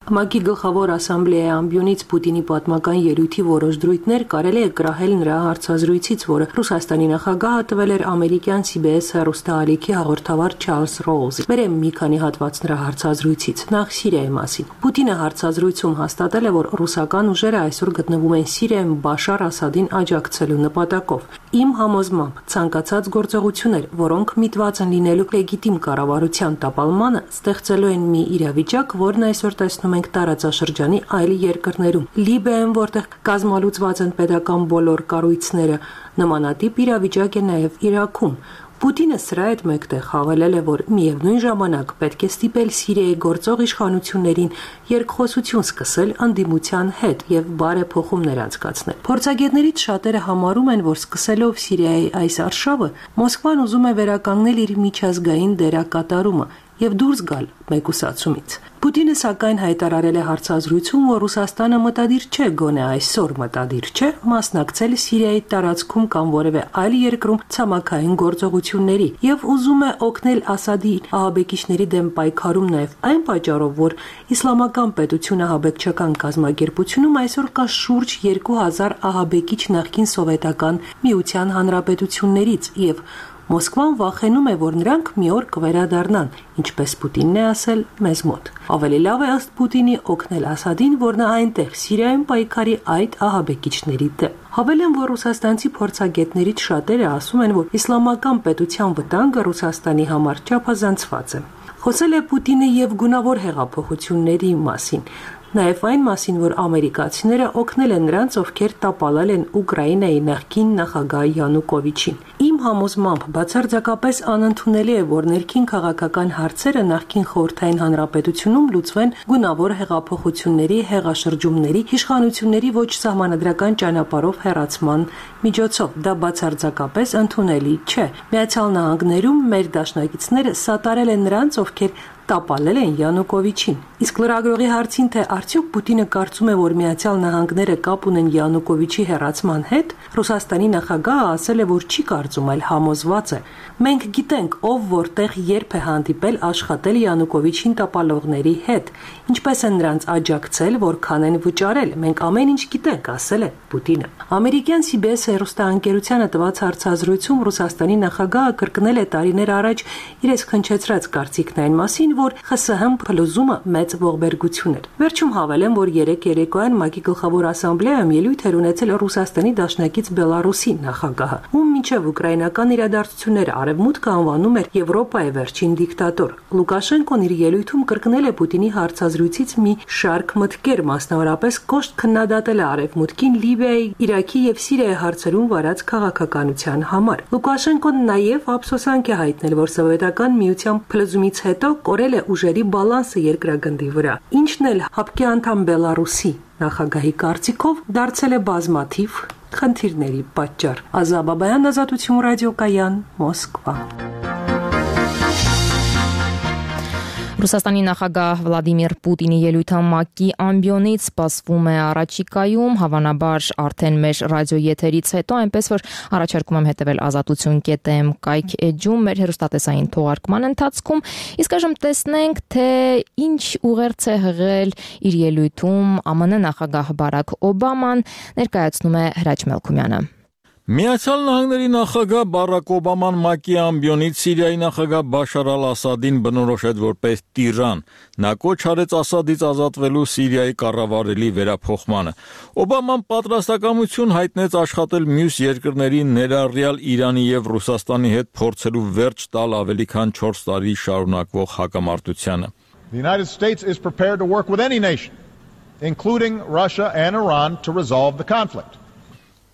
Speaker 12: ՄԱԿ-ի գլխավոր ասամբլեայի ամբիոնից Պուտինի պատմական ելույթի որոշ դրույթներ կարելի է կրահել նրա հարցազրույցից, որը Ռուսաստանի նախագահը տվել էր ամերիկյան CBS հեռուստաալիքի հաղորդավար Չարլզ Ռոուզին։ Վերեմ մի քանի հատված նրա հարցազրույցից։ Նախ Սիրիայի մասին։ Պուտինը հարցազրույցում հաստատել է, որ ռուսական ուժերը այսօր գտնվում են Սիրիայում Բաշար Ասադին աջակցելու նպատակով։ Իմ համոզմամբ ցանկացած գործողություններ, որոնք միտված են լինելու լեգիտիմ կառավարության տապալմանը, ստեղծելու են մի իրավիճակ, որն այսօր տեսնում ենք տարածաշրջանի այլ երկրներում։ Լիբիայում, որտեղ կազմալուծված են պետական բոլոր կառույցները, նմանատիպ իրավիճակ է նաև Իրաքում։ Պուտինը սրա հետ մեկտեղ հավելել է, որ միևնույն ժամանակ պետք է ստիպել Սիրիայի գործող իշխանություններին երկխոսություն սկսել անդիմության հետ եւ բարեփոխումներ անցկացնել։ Փորձագետներից շատերը համարում են, որ սկսելով Սիրիայի այս արշավը, Մոսկվան ուզում է վերականգնել իր միջազգային դերակատարումը եւ դուրս գալ մեկուսացումից։ Պուտինը սակայն հայտարարել է հարցազրույցում, որ Ռուսաստանը մտադիր չէ, գոնե այսօր մտադիր չէ, մասնակցել Սիրիայի տարածքում կամ որևէ այլ երկրում ցամաքային գործողությունների եւ ուզում է օգնել Ասադի ահաբեկիչների դեմ պայքարում նաեւ այն պատճառով, որ իսլամական պետություն ահաբեկչական կազմակերպությունում այսօր կա շուրջ 2000 ահաբեկիչ նախկին սովետական միության հանրապետություններից եւ Մոսկվան վախենում է, որ նրանք մի օր կվերադառնան, ինչպես Պուտինն է ասել մեզ մոտ։ Ավելի լավ է ըստ Պուտինի օգնել Ասադին, որ նա այնտեղ Սիրիայում պայքարի այդ ահաբեկիչների դեմ։ Հավելեմ, որ ռուսաստանցի փորձագետներից շատերը ասում են, որ իսլամական պետության վտանգը Ռուսաստանի համար չափազանցված է։ Խոսել է Պուտինը եւ գունավոր հեղափոխությունների մասին։ Նաև այն մասին, որ ամերիկացիները օգնել են նրանց, ովքեր տապալել են Ուկրաինայի նախկին նախագահ Յանուկովիչին։ Իմ համոզմամբ բացարձակապես անընդունելի է, որ ներքին քաղաքական հարցերը նախկին խորհրդային հանրապետությունում լուծվեն գունավոր հեղափոխությունների, հեղաշրջումների, իշխանությունների ոչ սահմանադրական ճանապարհով հեռացման միջոցով։ Դա բացարձակապես ընդունելի չէ։ Միացյալ Նահանգներում մեր դաշնակիցները սատարել են նրանց, ովքեր տապալել են Յանուկովիչին։ Իսկ լրագրողի հարցին, թե արդյոք Պուտինը կարծում է, որ Միացյալ Նահանգները կապ ունեն Յանուկովիչի հեռացման հետ, Ռուսաստանի նախագահը ասել է, որ չի կարծում, այլ համոզված է. «Մենք գիտենք, ով որտեղ երբ է հանդիպել աշխատել Յանուկովիչին տապալողների հետ, ինչպես են նրանց աջակցել, որքան են վճարել, մենք ամեն ինչ գիտենք», ասել է Պուտինը։ Ամերիկյան CBS հեռուստաընկերությանը տված հարցազրույցում Ռուսաստանի նախագահը կրկնել է տարիներ առաջ իր քնչեցրած կարծիքն այն մասին, որ ԽՍՀՄ փլուզումը մեծ ողբերգություն էր։ Վերջում հավելեմ, որ երեկոյան ՄԱԿ-ի գլխավոր ասամբլեայում ելույթ էր ունեցել Ռուսաստանի դաշնակից Բելարուսի նախագահը, ում մինչև ուկրաինական իրադարձությունները Արևմուտքը անվանում էր Եվրոպայի վերջին դիկտատոր։ Լուկաշենկոն իր ելույթում կրկնել է Պուտինի հարցազրույցից մի շարք մտքեր, մասնավորապես կոշտ քննադատել է Արևմուտքին Լիբիայի, Իրաքի եւ Սիրիայի հարցերում վարած քաղաքականության համար։ Լուկաշենկոն նաև ափսոսանք է հայտնել, որ Սովետական միության փլուզումից հետո կորել է ուժերի բալանսը երկրագնդի վրա, ինչն էլ ՀԱՊԿ անդամ Բելարուսի նախագահի կարծիքով դարձել է բազմաթիվ խնդիրների պատճառ։ Ազա Բաբայան, Ազատություն ռադիոկայան, Մոսկվա։
Speaker 1: Ռուսաստանի նախագահ Վլադիմիր Պուտինի ելույթը ՄԱԿ-ի ամբիոնից սպասվում է առաջիկայում, հավանաբար արդեն մեր ռադիոեթերից հետո, այնպես որ առաջարկում եմ հետևել azatutun.am կայք էջում մեր հեռուստատեսային թողարկման ընթացքում, իսկ այժմ տեսնենք, թե ինչ ուղերձ է հղել իր ելույթում ԱՄՆ նախագահ Բարաք Օբաման, ներկայացնում է Հրաչ Մելքումյանը։
Speaker 14: Միացյալ Նահանգների նախագահ Բարաք Օբաման ՄԱԿ-ի ամբիոնից Սիրիայի նախագահ Բաշար ալ-Ասադին բնորոշեց որպես տիրան։ Նա կոչ արեց Ասադից ազատվելու Սիրիայի կառավարելի վերափոխմանը։ Օբաման պատրաստակամություն հայտնեց աշխատել մյուս երկրների, ներառյալ Իրանի եւ Ռուսաստանի հետ փորձելու վերջ տալ ավելի քան 4 տարի շարունակվող հակամարտությանը։
Speaker 15: The United States is prepared to work with any nation, including Russia and Iran, to resolve the conflict.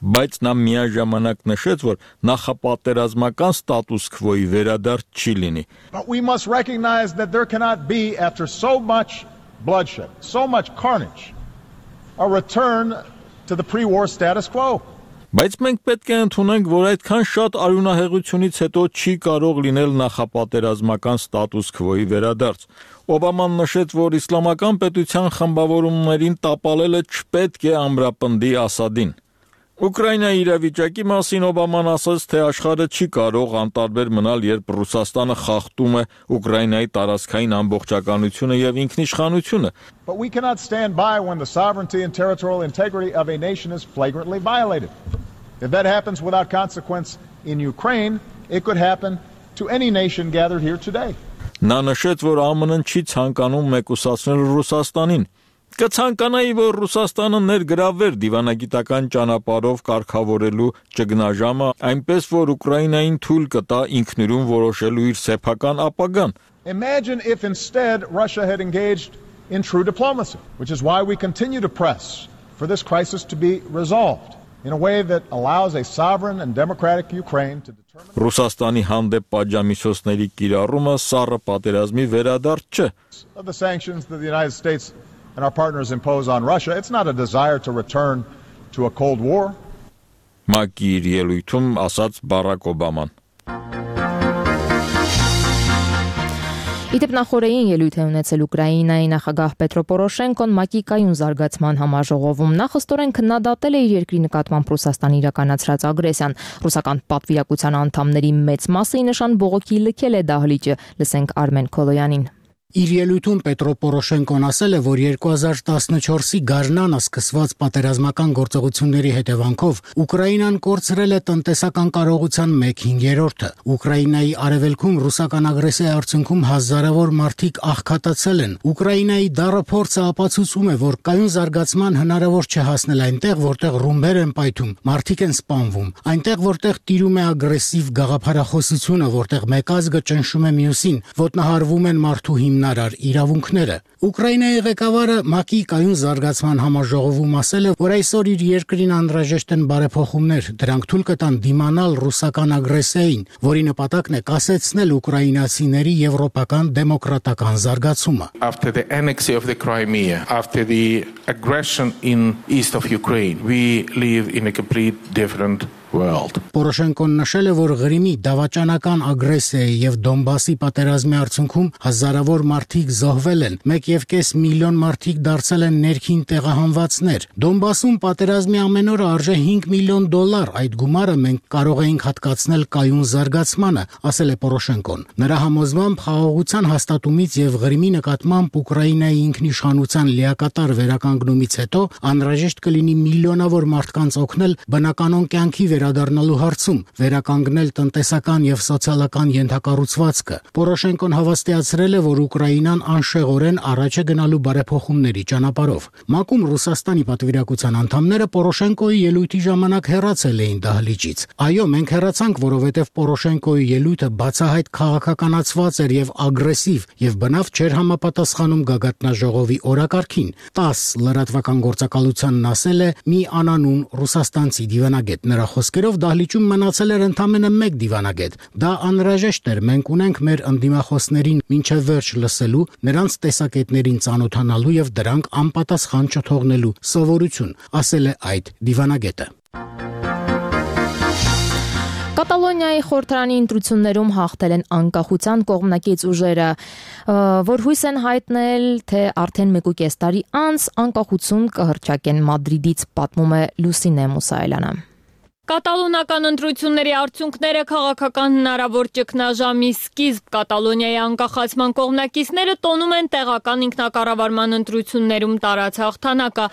Speaker 14: Բայց նա միաժամանակ նշեց, որ նախապատերազմական ստատուս քվոյի վերադարձ չի լինի։
Speaker 15: But we must recognize that there cannot be, after so much bloodshed, so much carnage, a return to the pre-war status quo.
Speaker 14: Բայց մենք պետք է ընդունենք, որ այդքան շատ արյունահեղությունից հետո չի կարող լինել նախապատերազմական ստատուս քվոյի վերադարձ։ Օբաման նշեց, որ իսլամական պետության խմբավորումներին տապալելը չպետք է ամրապնդի Ասադին։ Ուկրաինայի իրավիճակի մասին Օբաման ասաց, թե աշխարհը չի կարող անտարբեր մնալ, երբ Ռուսաստանը խախտում է Ուկրաինայի տարածքային ամբողջականությունը եւ ինքնիշխանությունը։
Speaker 15: But we cannot stand by when the sovereignty and territorial integrity of a nation is flagrantly violated. If that happens without consequence in Ukraine, it could happen to any nation gathered here today.
Speaker 14: Նա նշեց, որ ԱՄՆ-ն չի ցանկանում մեկուսացնել Ռուսաստանին։ Կցանկանայի, որ Ռուսաստանը ներգրավեր դիվանագիտական ճանապարհով կարգավորելու ճգնաժամը, այնպես որ Ուկրաինային թույլ կտա ինքնուրույն որոշելու իր սեփական ապագան։
Speaker 15: Imagine if instead Russia had engaged in true diplomacy, which is why we continue to press for this crisis to be resolved in a way that allows a sovereign and democratic Ukraine to determine
Speaker 14: Ռուսաստանի հանդեպ պատժամիջոցների կիրառումը սառը պատերազմի վերադարձ չէ։
Speaker 15: Of the sanctions that the United States and our partners impose on Russia, it's not a desire to return to a Cold War.
Speaker 14: ՄԱԿ-ի իր ելույթում ասաց Բարաք Օբաման։
Speaker 1: Իդեպ նախորդային ելույթ է ունեցել Ուկրաինայի նախագահ Պետրո Պորոշենկոն ՄԱԿ-ի կայուն զարգացման համաժողովում։ Նա խստորեն քննադատել է իր երկրի նկատմամբ Ռուսաստանի իրականացրած ագրեսիան։ Ռուսական պատվիրակության անդամների մեծ մասը ի նշան բողոքի լքել է դահլիճը։ Լսենք Արմեն Քոլոյանին։
Speaker 16: Իր ելույթում Պետրո Պորոշենկոն ասել է, որ 2014-ի գարնանը սկսված պատերազմական գործողությունների հետևանքով Ուկրաինան կորցրել է տնտեսական կարողության 1/5-ը։ Ուկրաինայի արևելքում ռուսական ագրեսիայի արդյունքում հազարավոր մարդիկ աղքատացել են։ Ուկրաինայի դառը փորձը ապացուցում է, որ կայուն զարգացման հնարավոր չէ հասնել այնտեղ, որտեղ ռումբեր են պայթում, մարդիկ են սպանվում, այնտեղ, որտեղ տիրում է ագրեսիվ գաղափարախոսությունը, որտեղ մեկ ազգը ճնշում է մյուսին, ոտնահարվում են մարդու հիմնարար իրավունքները։ Ուկրաինայի ղեկավարը ՄԱԿ-ի կայուն զարգացման համաժողովում ասել է, որ այսօր իր երկրին անհրաժեշտ են բարեփոխումներ, դրանք թույլ կտան դիմանալ ռուսական ագրեսիային, որի նպատակն է կասեցնել ուկրաինացիների եվրոպական դեմոկրատական զարգացումը։
Speaker 17: After the annexation of the Crimea, after the aggression in east of Ukraine, we live in a complete different
Speaker 24: world.
Speaker 16: Պորոշենկոն նշել է, որ Ղրիմի դավաճանական ագրեսիայի եւ Դոնբասի պատերազմի արդյունքում հազարավոր մարդիկ զոհվել են, 1.5 միլիոն մարդիկ դարձել են ներքին տեղահանվածներ։ Դոնբասում պատերազմի ամեն օրը արժե $5 միլիոն, այդ գումարը մենք կարող էինք հատկացնել կայուն զարգացմանը, ասել է Պորոշենկոն։ Նրա համոզմամբ խաղաղության հաստատումից եւ Ղրիմի նկատմամբ Ուկրաինայի ինքնիշխանության լիակատար վերականգնումից հետո անհրաժեշտ կլինի միլիոնավոր մարդկանց օգնել բնականոն կյանքի վերադառնալու հարցում, վերականգնել տնտեսական եւ սոցիալական ենթակառուցվածքը։ Պորոշենկոն հավաստիացրել է, որ Ուկրաինան անշեղորեն առաջ է գնալու բարեփոխումների ճանապարհով։ ՄԱԿ-ում Ռուսաստանի պատվիրակության անդամները Պորոշենկոյի ելույթի ժամանակ հեռացել էին դահլիճից։ Այո, մենք հեռացանք, որովհետեւ Պորոշենկոյի ելույթը բացահայտ քաղաքականացված էր եւ ագրեսիվ եւ բնավ չէր համապատասխանում գագաթնաժողովի օրակարգին։ 10 լրատվական գործակալությանն ասել է մի անանուն ռուսաստանցի դիվանագետ։ Նրա խոսքերով դահլիճում մնացել էր ընդամենը 1 դիվանագետ։ Դա անհրաժեշտ էր, մենք ունենք մեր ընդդիմախոսներին մինչև վերջ լսելու, նրանց տեսակետներին ծանոթանալու եւ դրանք անպատասխան չթողնելու սովորություն, ասել է այդ դիվանագետը։
Speaker 1: Կատալոնիայի խորհրդարանի ընտրություններում հաղթել են անկախության կողմնակից ուժերը, որ հույս են հայտնել, թե արդեն 1.5 տարի անց անկախություն կհռչակեն Մադրիդից, պատմում է Լուսինե Մուսայելյանը։
Speaker 2: Կատալոնական ընտրությունների արդյունքները քաղաքական հնարավոր ճգնաժամի սկիզբ Կատալոնիայի անկախացման կողմնակիցները տոնում են տեղական ինքնակառավարման ընտրություններում տարած հաղթանակը։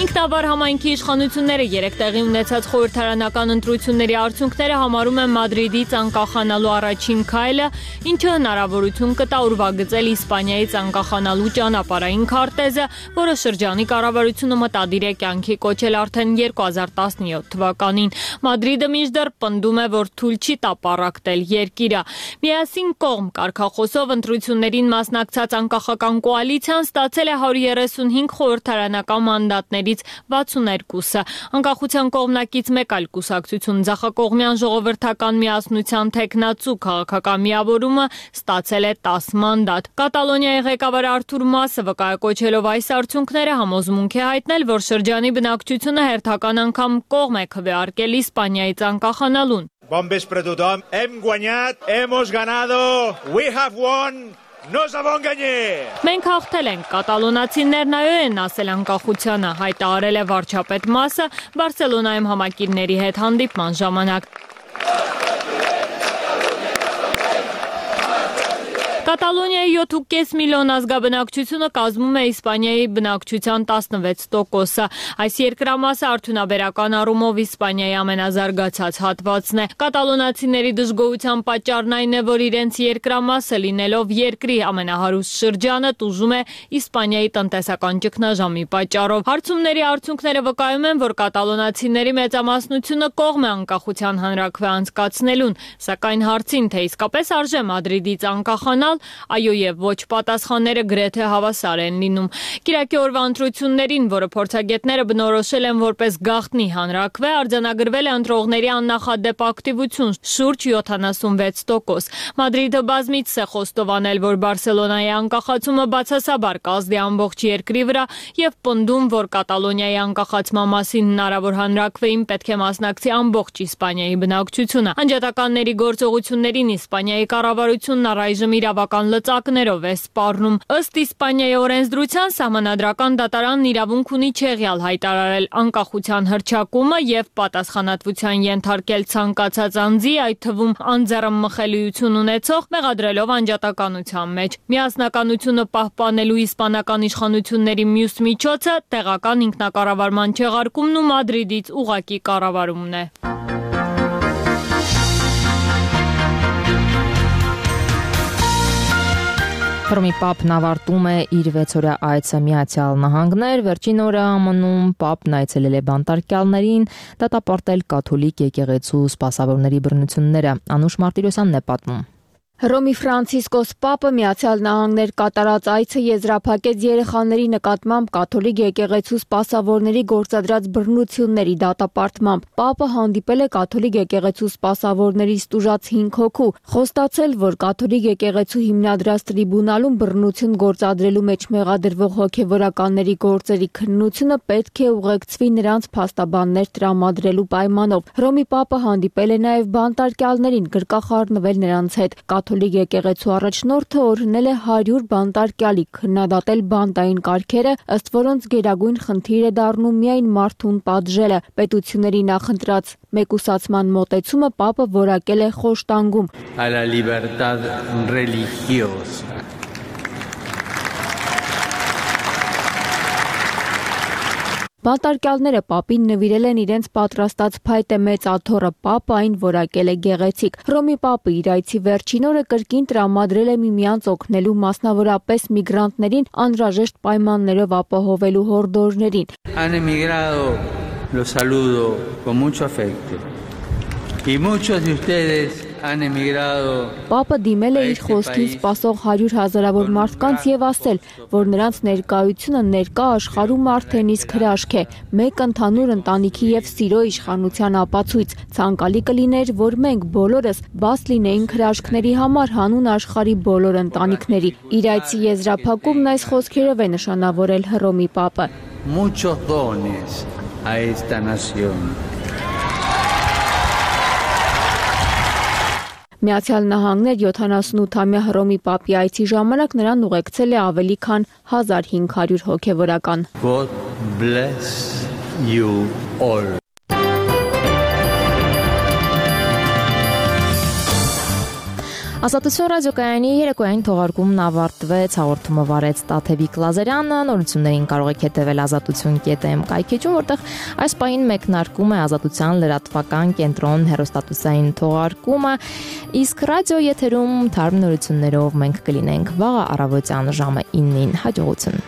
Speaker 2: Ինքնավար համայնքի իշխանությունները երեք տեղի ունեցած խորհրդարանական ընտրությունների արդյունքները համարում են Մադրիդից անկախանալու առաջին քայլը, ինչը հնարավորություն կտա ուրվագծել Իսպանիայից անկախանալու ճանապարհային քարտեզը, որը շրջանի կառավարությունը մտադիր է կյանքի կոչել արդեն 2017 թվականին։ Մադրիդը մինչդեռ պնդում է, որ թույլ չի տա պառակտել երկիրը։ Միասին կողմ կարգախոսով ընտրություններին մասնակցած անկախական կոալիցիան ստացել է 135 խորհրդարանական մանդատներից 62-ը։ Անկախության կողմնակից մեկ այլ կուսակցություն ձախակողմյան ժողովրդական միասնության թեկնածու քաղաքական միավորումը ստացել է 10 մանդատ։ Կատալոնիայի ղեկավար Արթուր Մասը վկայակոչելով այս արդյունքները համոզմունք է հայտնել, որ շրջանի բնակչությունը հերթական անգամ կողմ է քվեարկել Իսպանիայից անկախանալուն։
Speaker 19: Bon vespre tothom, hem guanyat, hemos ganado, we have won.
Speaker 2: Մենք հաղթել ենք, կատալոնացիներն այո են ասել անկախությանը, հայտարարել է վարչապետ Մասը Բարսելոնայում համակիրների հետ հանդիպման ժամանակ։ Կատալոնիայի 7.5 միլիոն ազգաբնակչությունը կազմում է Իսպանիայի բնակչության 16%-ը։ Այս երկրամասը արդյունաբերական առումով Իսպանիայի ամենազարգացած հատվածն է։ Կատալոնացիների դժգոհության պատճառն այն է, որ իրենց երկրամասը լինելով երկրի ամենահարուստ շրջանը տուժում է Իսպանիայի տնտեսական ճգնաժամի պատճառով։ Հարցումների արդյունքները վկայում են, որ կատալոնացիների մեծամասնությունը կողմ է անկախության հանրաքվե անցկացնելուն, սակայն հարցին, թե իսկապես արժե Մադրիդից անկախանալ, այո եւ ոչ պատասխանները գրեթե հավասար են լինում։ Կիրակի օրվա ընտրություններին, որը փորձագետները բնորոշել են որպես գաղտնի հանրաքվե, արձանագրվել է ընտրողների աննախադեպ ակտիվություն՝ շուրջ 76%։ Մադրիդը բազմիցս է խոստովանել, որ Բարսելոնայի անկախացումը բացասաբար կազդի ամբողջ երկրի վրա եւ պնդում, որ Կատալոնիայի անկախացման մասին հնարավոր հանրաքվեին պետք է մասնակցի ամբողջ Իսպանիայի բնակչությունը։ Անջատականների գործողություններին Իսպանիայի կառավարությունն առայժմ իրավական լծակներով է սպառնում։ Ըստ Իսպանիայի օրենսդրության սահմանադրական դատարանն իրավունք ունի չեղյալ հայտարարել անկախության հռչակումը եւ պատասխանատվության ենթարկել ցանկացած անձի, այդ թվում անձեռամխելիություն ունեցող, մեղադրելով անջատականության մեջ։ Միասնականությունը պահպանելու իսպանական իշխանությունների մյուս միջոցը տեղական ինքնակառավարման չեղարկումն ու Մադրիդից ուղղակի կառավարումն է։
Speaker 1: Հռոմի Պապն ավարտում է իր 6-օրյա այցը Միացյալ Նահանգներ, վերջին օրը ԱՄՆ-ում Պապն այցելել է բանտարկյալներին, դատապարտել կաթոլիկ եկեղեցու սպասավորների բռնությունները։ Անուշ Մարտիրոսյանն է պատմում։
Speaker 2: Հռոմի Ֆրանցիսկոս Պապը Միացյալ Նահանգներ կատարած այցը եզրափակեց երեխաների նկատմամբ կաթոլիկ եկեղեցու սպասավորների գործադրած բռնությունների դատապարտմամբ։ Պապը հանդիպել է կաթոլիկ եկեղեցու սպասավորներից տուժած 5 հոգու, խոստացել, որ կաթոլիկ եկեղեցու հիմնադրած տրիբունալում բռնություն գործադրելու մեջ մեղադրվող հոգևորականների գործերի քննությունը պետք է ուղեկցվի նրանց փաստաբաններ տրամադրելու պայմանով։ Հռոմի Պապը հանդիպել է նաև բանտարկյալներին, գրկախառնվել նրանց հետ։ Կաթոլիկ եկեղեցու առաջնորդը օրհնել է 100 բանտարկյալի, քննադատել բանտային կարգերը, ըստ որոնց գերագույն խնդիր է դառնում միայն մարդուն պատժելը։ Պետությունների նախընտրած մեկուսացման մոտեցումը Պապը որակել է խոշտանգում։
Speaker 18: A la libertad religiosa.
Speaker 2: Բանտարկյալները Պապին նվիրել են իրենց պատրաստած փայտե մեծ աթոռը, Պապը այն որակել է գեղեցիկ։ Հռոմի Պապը իր այցի վերջին օրը կրկին տրամադրել է միմյանց օգնելու, մասնավորապես միգրանտներին անհրաժեշտ պայմաններով ապահովելու հորդորներին։
Speaker 18: Han emigrado, los saludo con mucho afecto. Y muchos de ustedes han emigrado.
Speaker 2: Պապը դիմել է իր խոսքին սպասող 100 հազարավոր մարդկանց եւ ասել, որ նրանց ներկայությունը ներկա աշխարհում արդեն իսկ հրաշք է, մեկ ընդհանուր ընտանիքի եւ սիրո իշխանության ապացույց։ Ցանկալի կլիներ, որ մենք բոլորս բաց լինեինք հրաշքների համար հանուն աշխարհի բոլոր ընտանիքների։ Իր այցի եզրափակումն այս խոսքերով է նշանավորել Հռոմի Պապը։
Speaker 18: Muchos dones a esta nación.
Speaker 2: Միացյալ Նահանգներ 78-ամյա Հռոմի Պապի այցի ժամանակ նրան ուղեկցել է ավելի քան 1500 հոգևորական։
Speaker 18: God bless you all.
Speaker 1: Ազատություն ռադիոկայանի երեկոյին թողարկումն ավարտվեց, հաղորդումը վարեց Տաթևիկ Լազարյանը, նորություններին կարող եք հետևել azatutun.am կայքեջում, որտեղ այս պահին մեկնարկում է Ազատության լրատվական կենտրոն հեռուստատեսային թողարկումը, իսկ ռադիո եթերում թարմ նորություններով մենք կլինենք վաղը առավոտյան ժամը 9-ին, հաջողություն։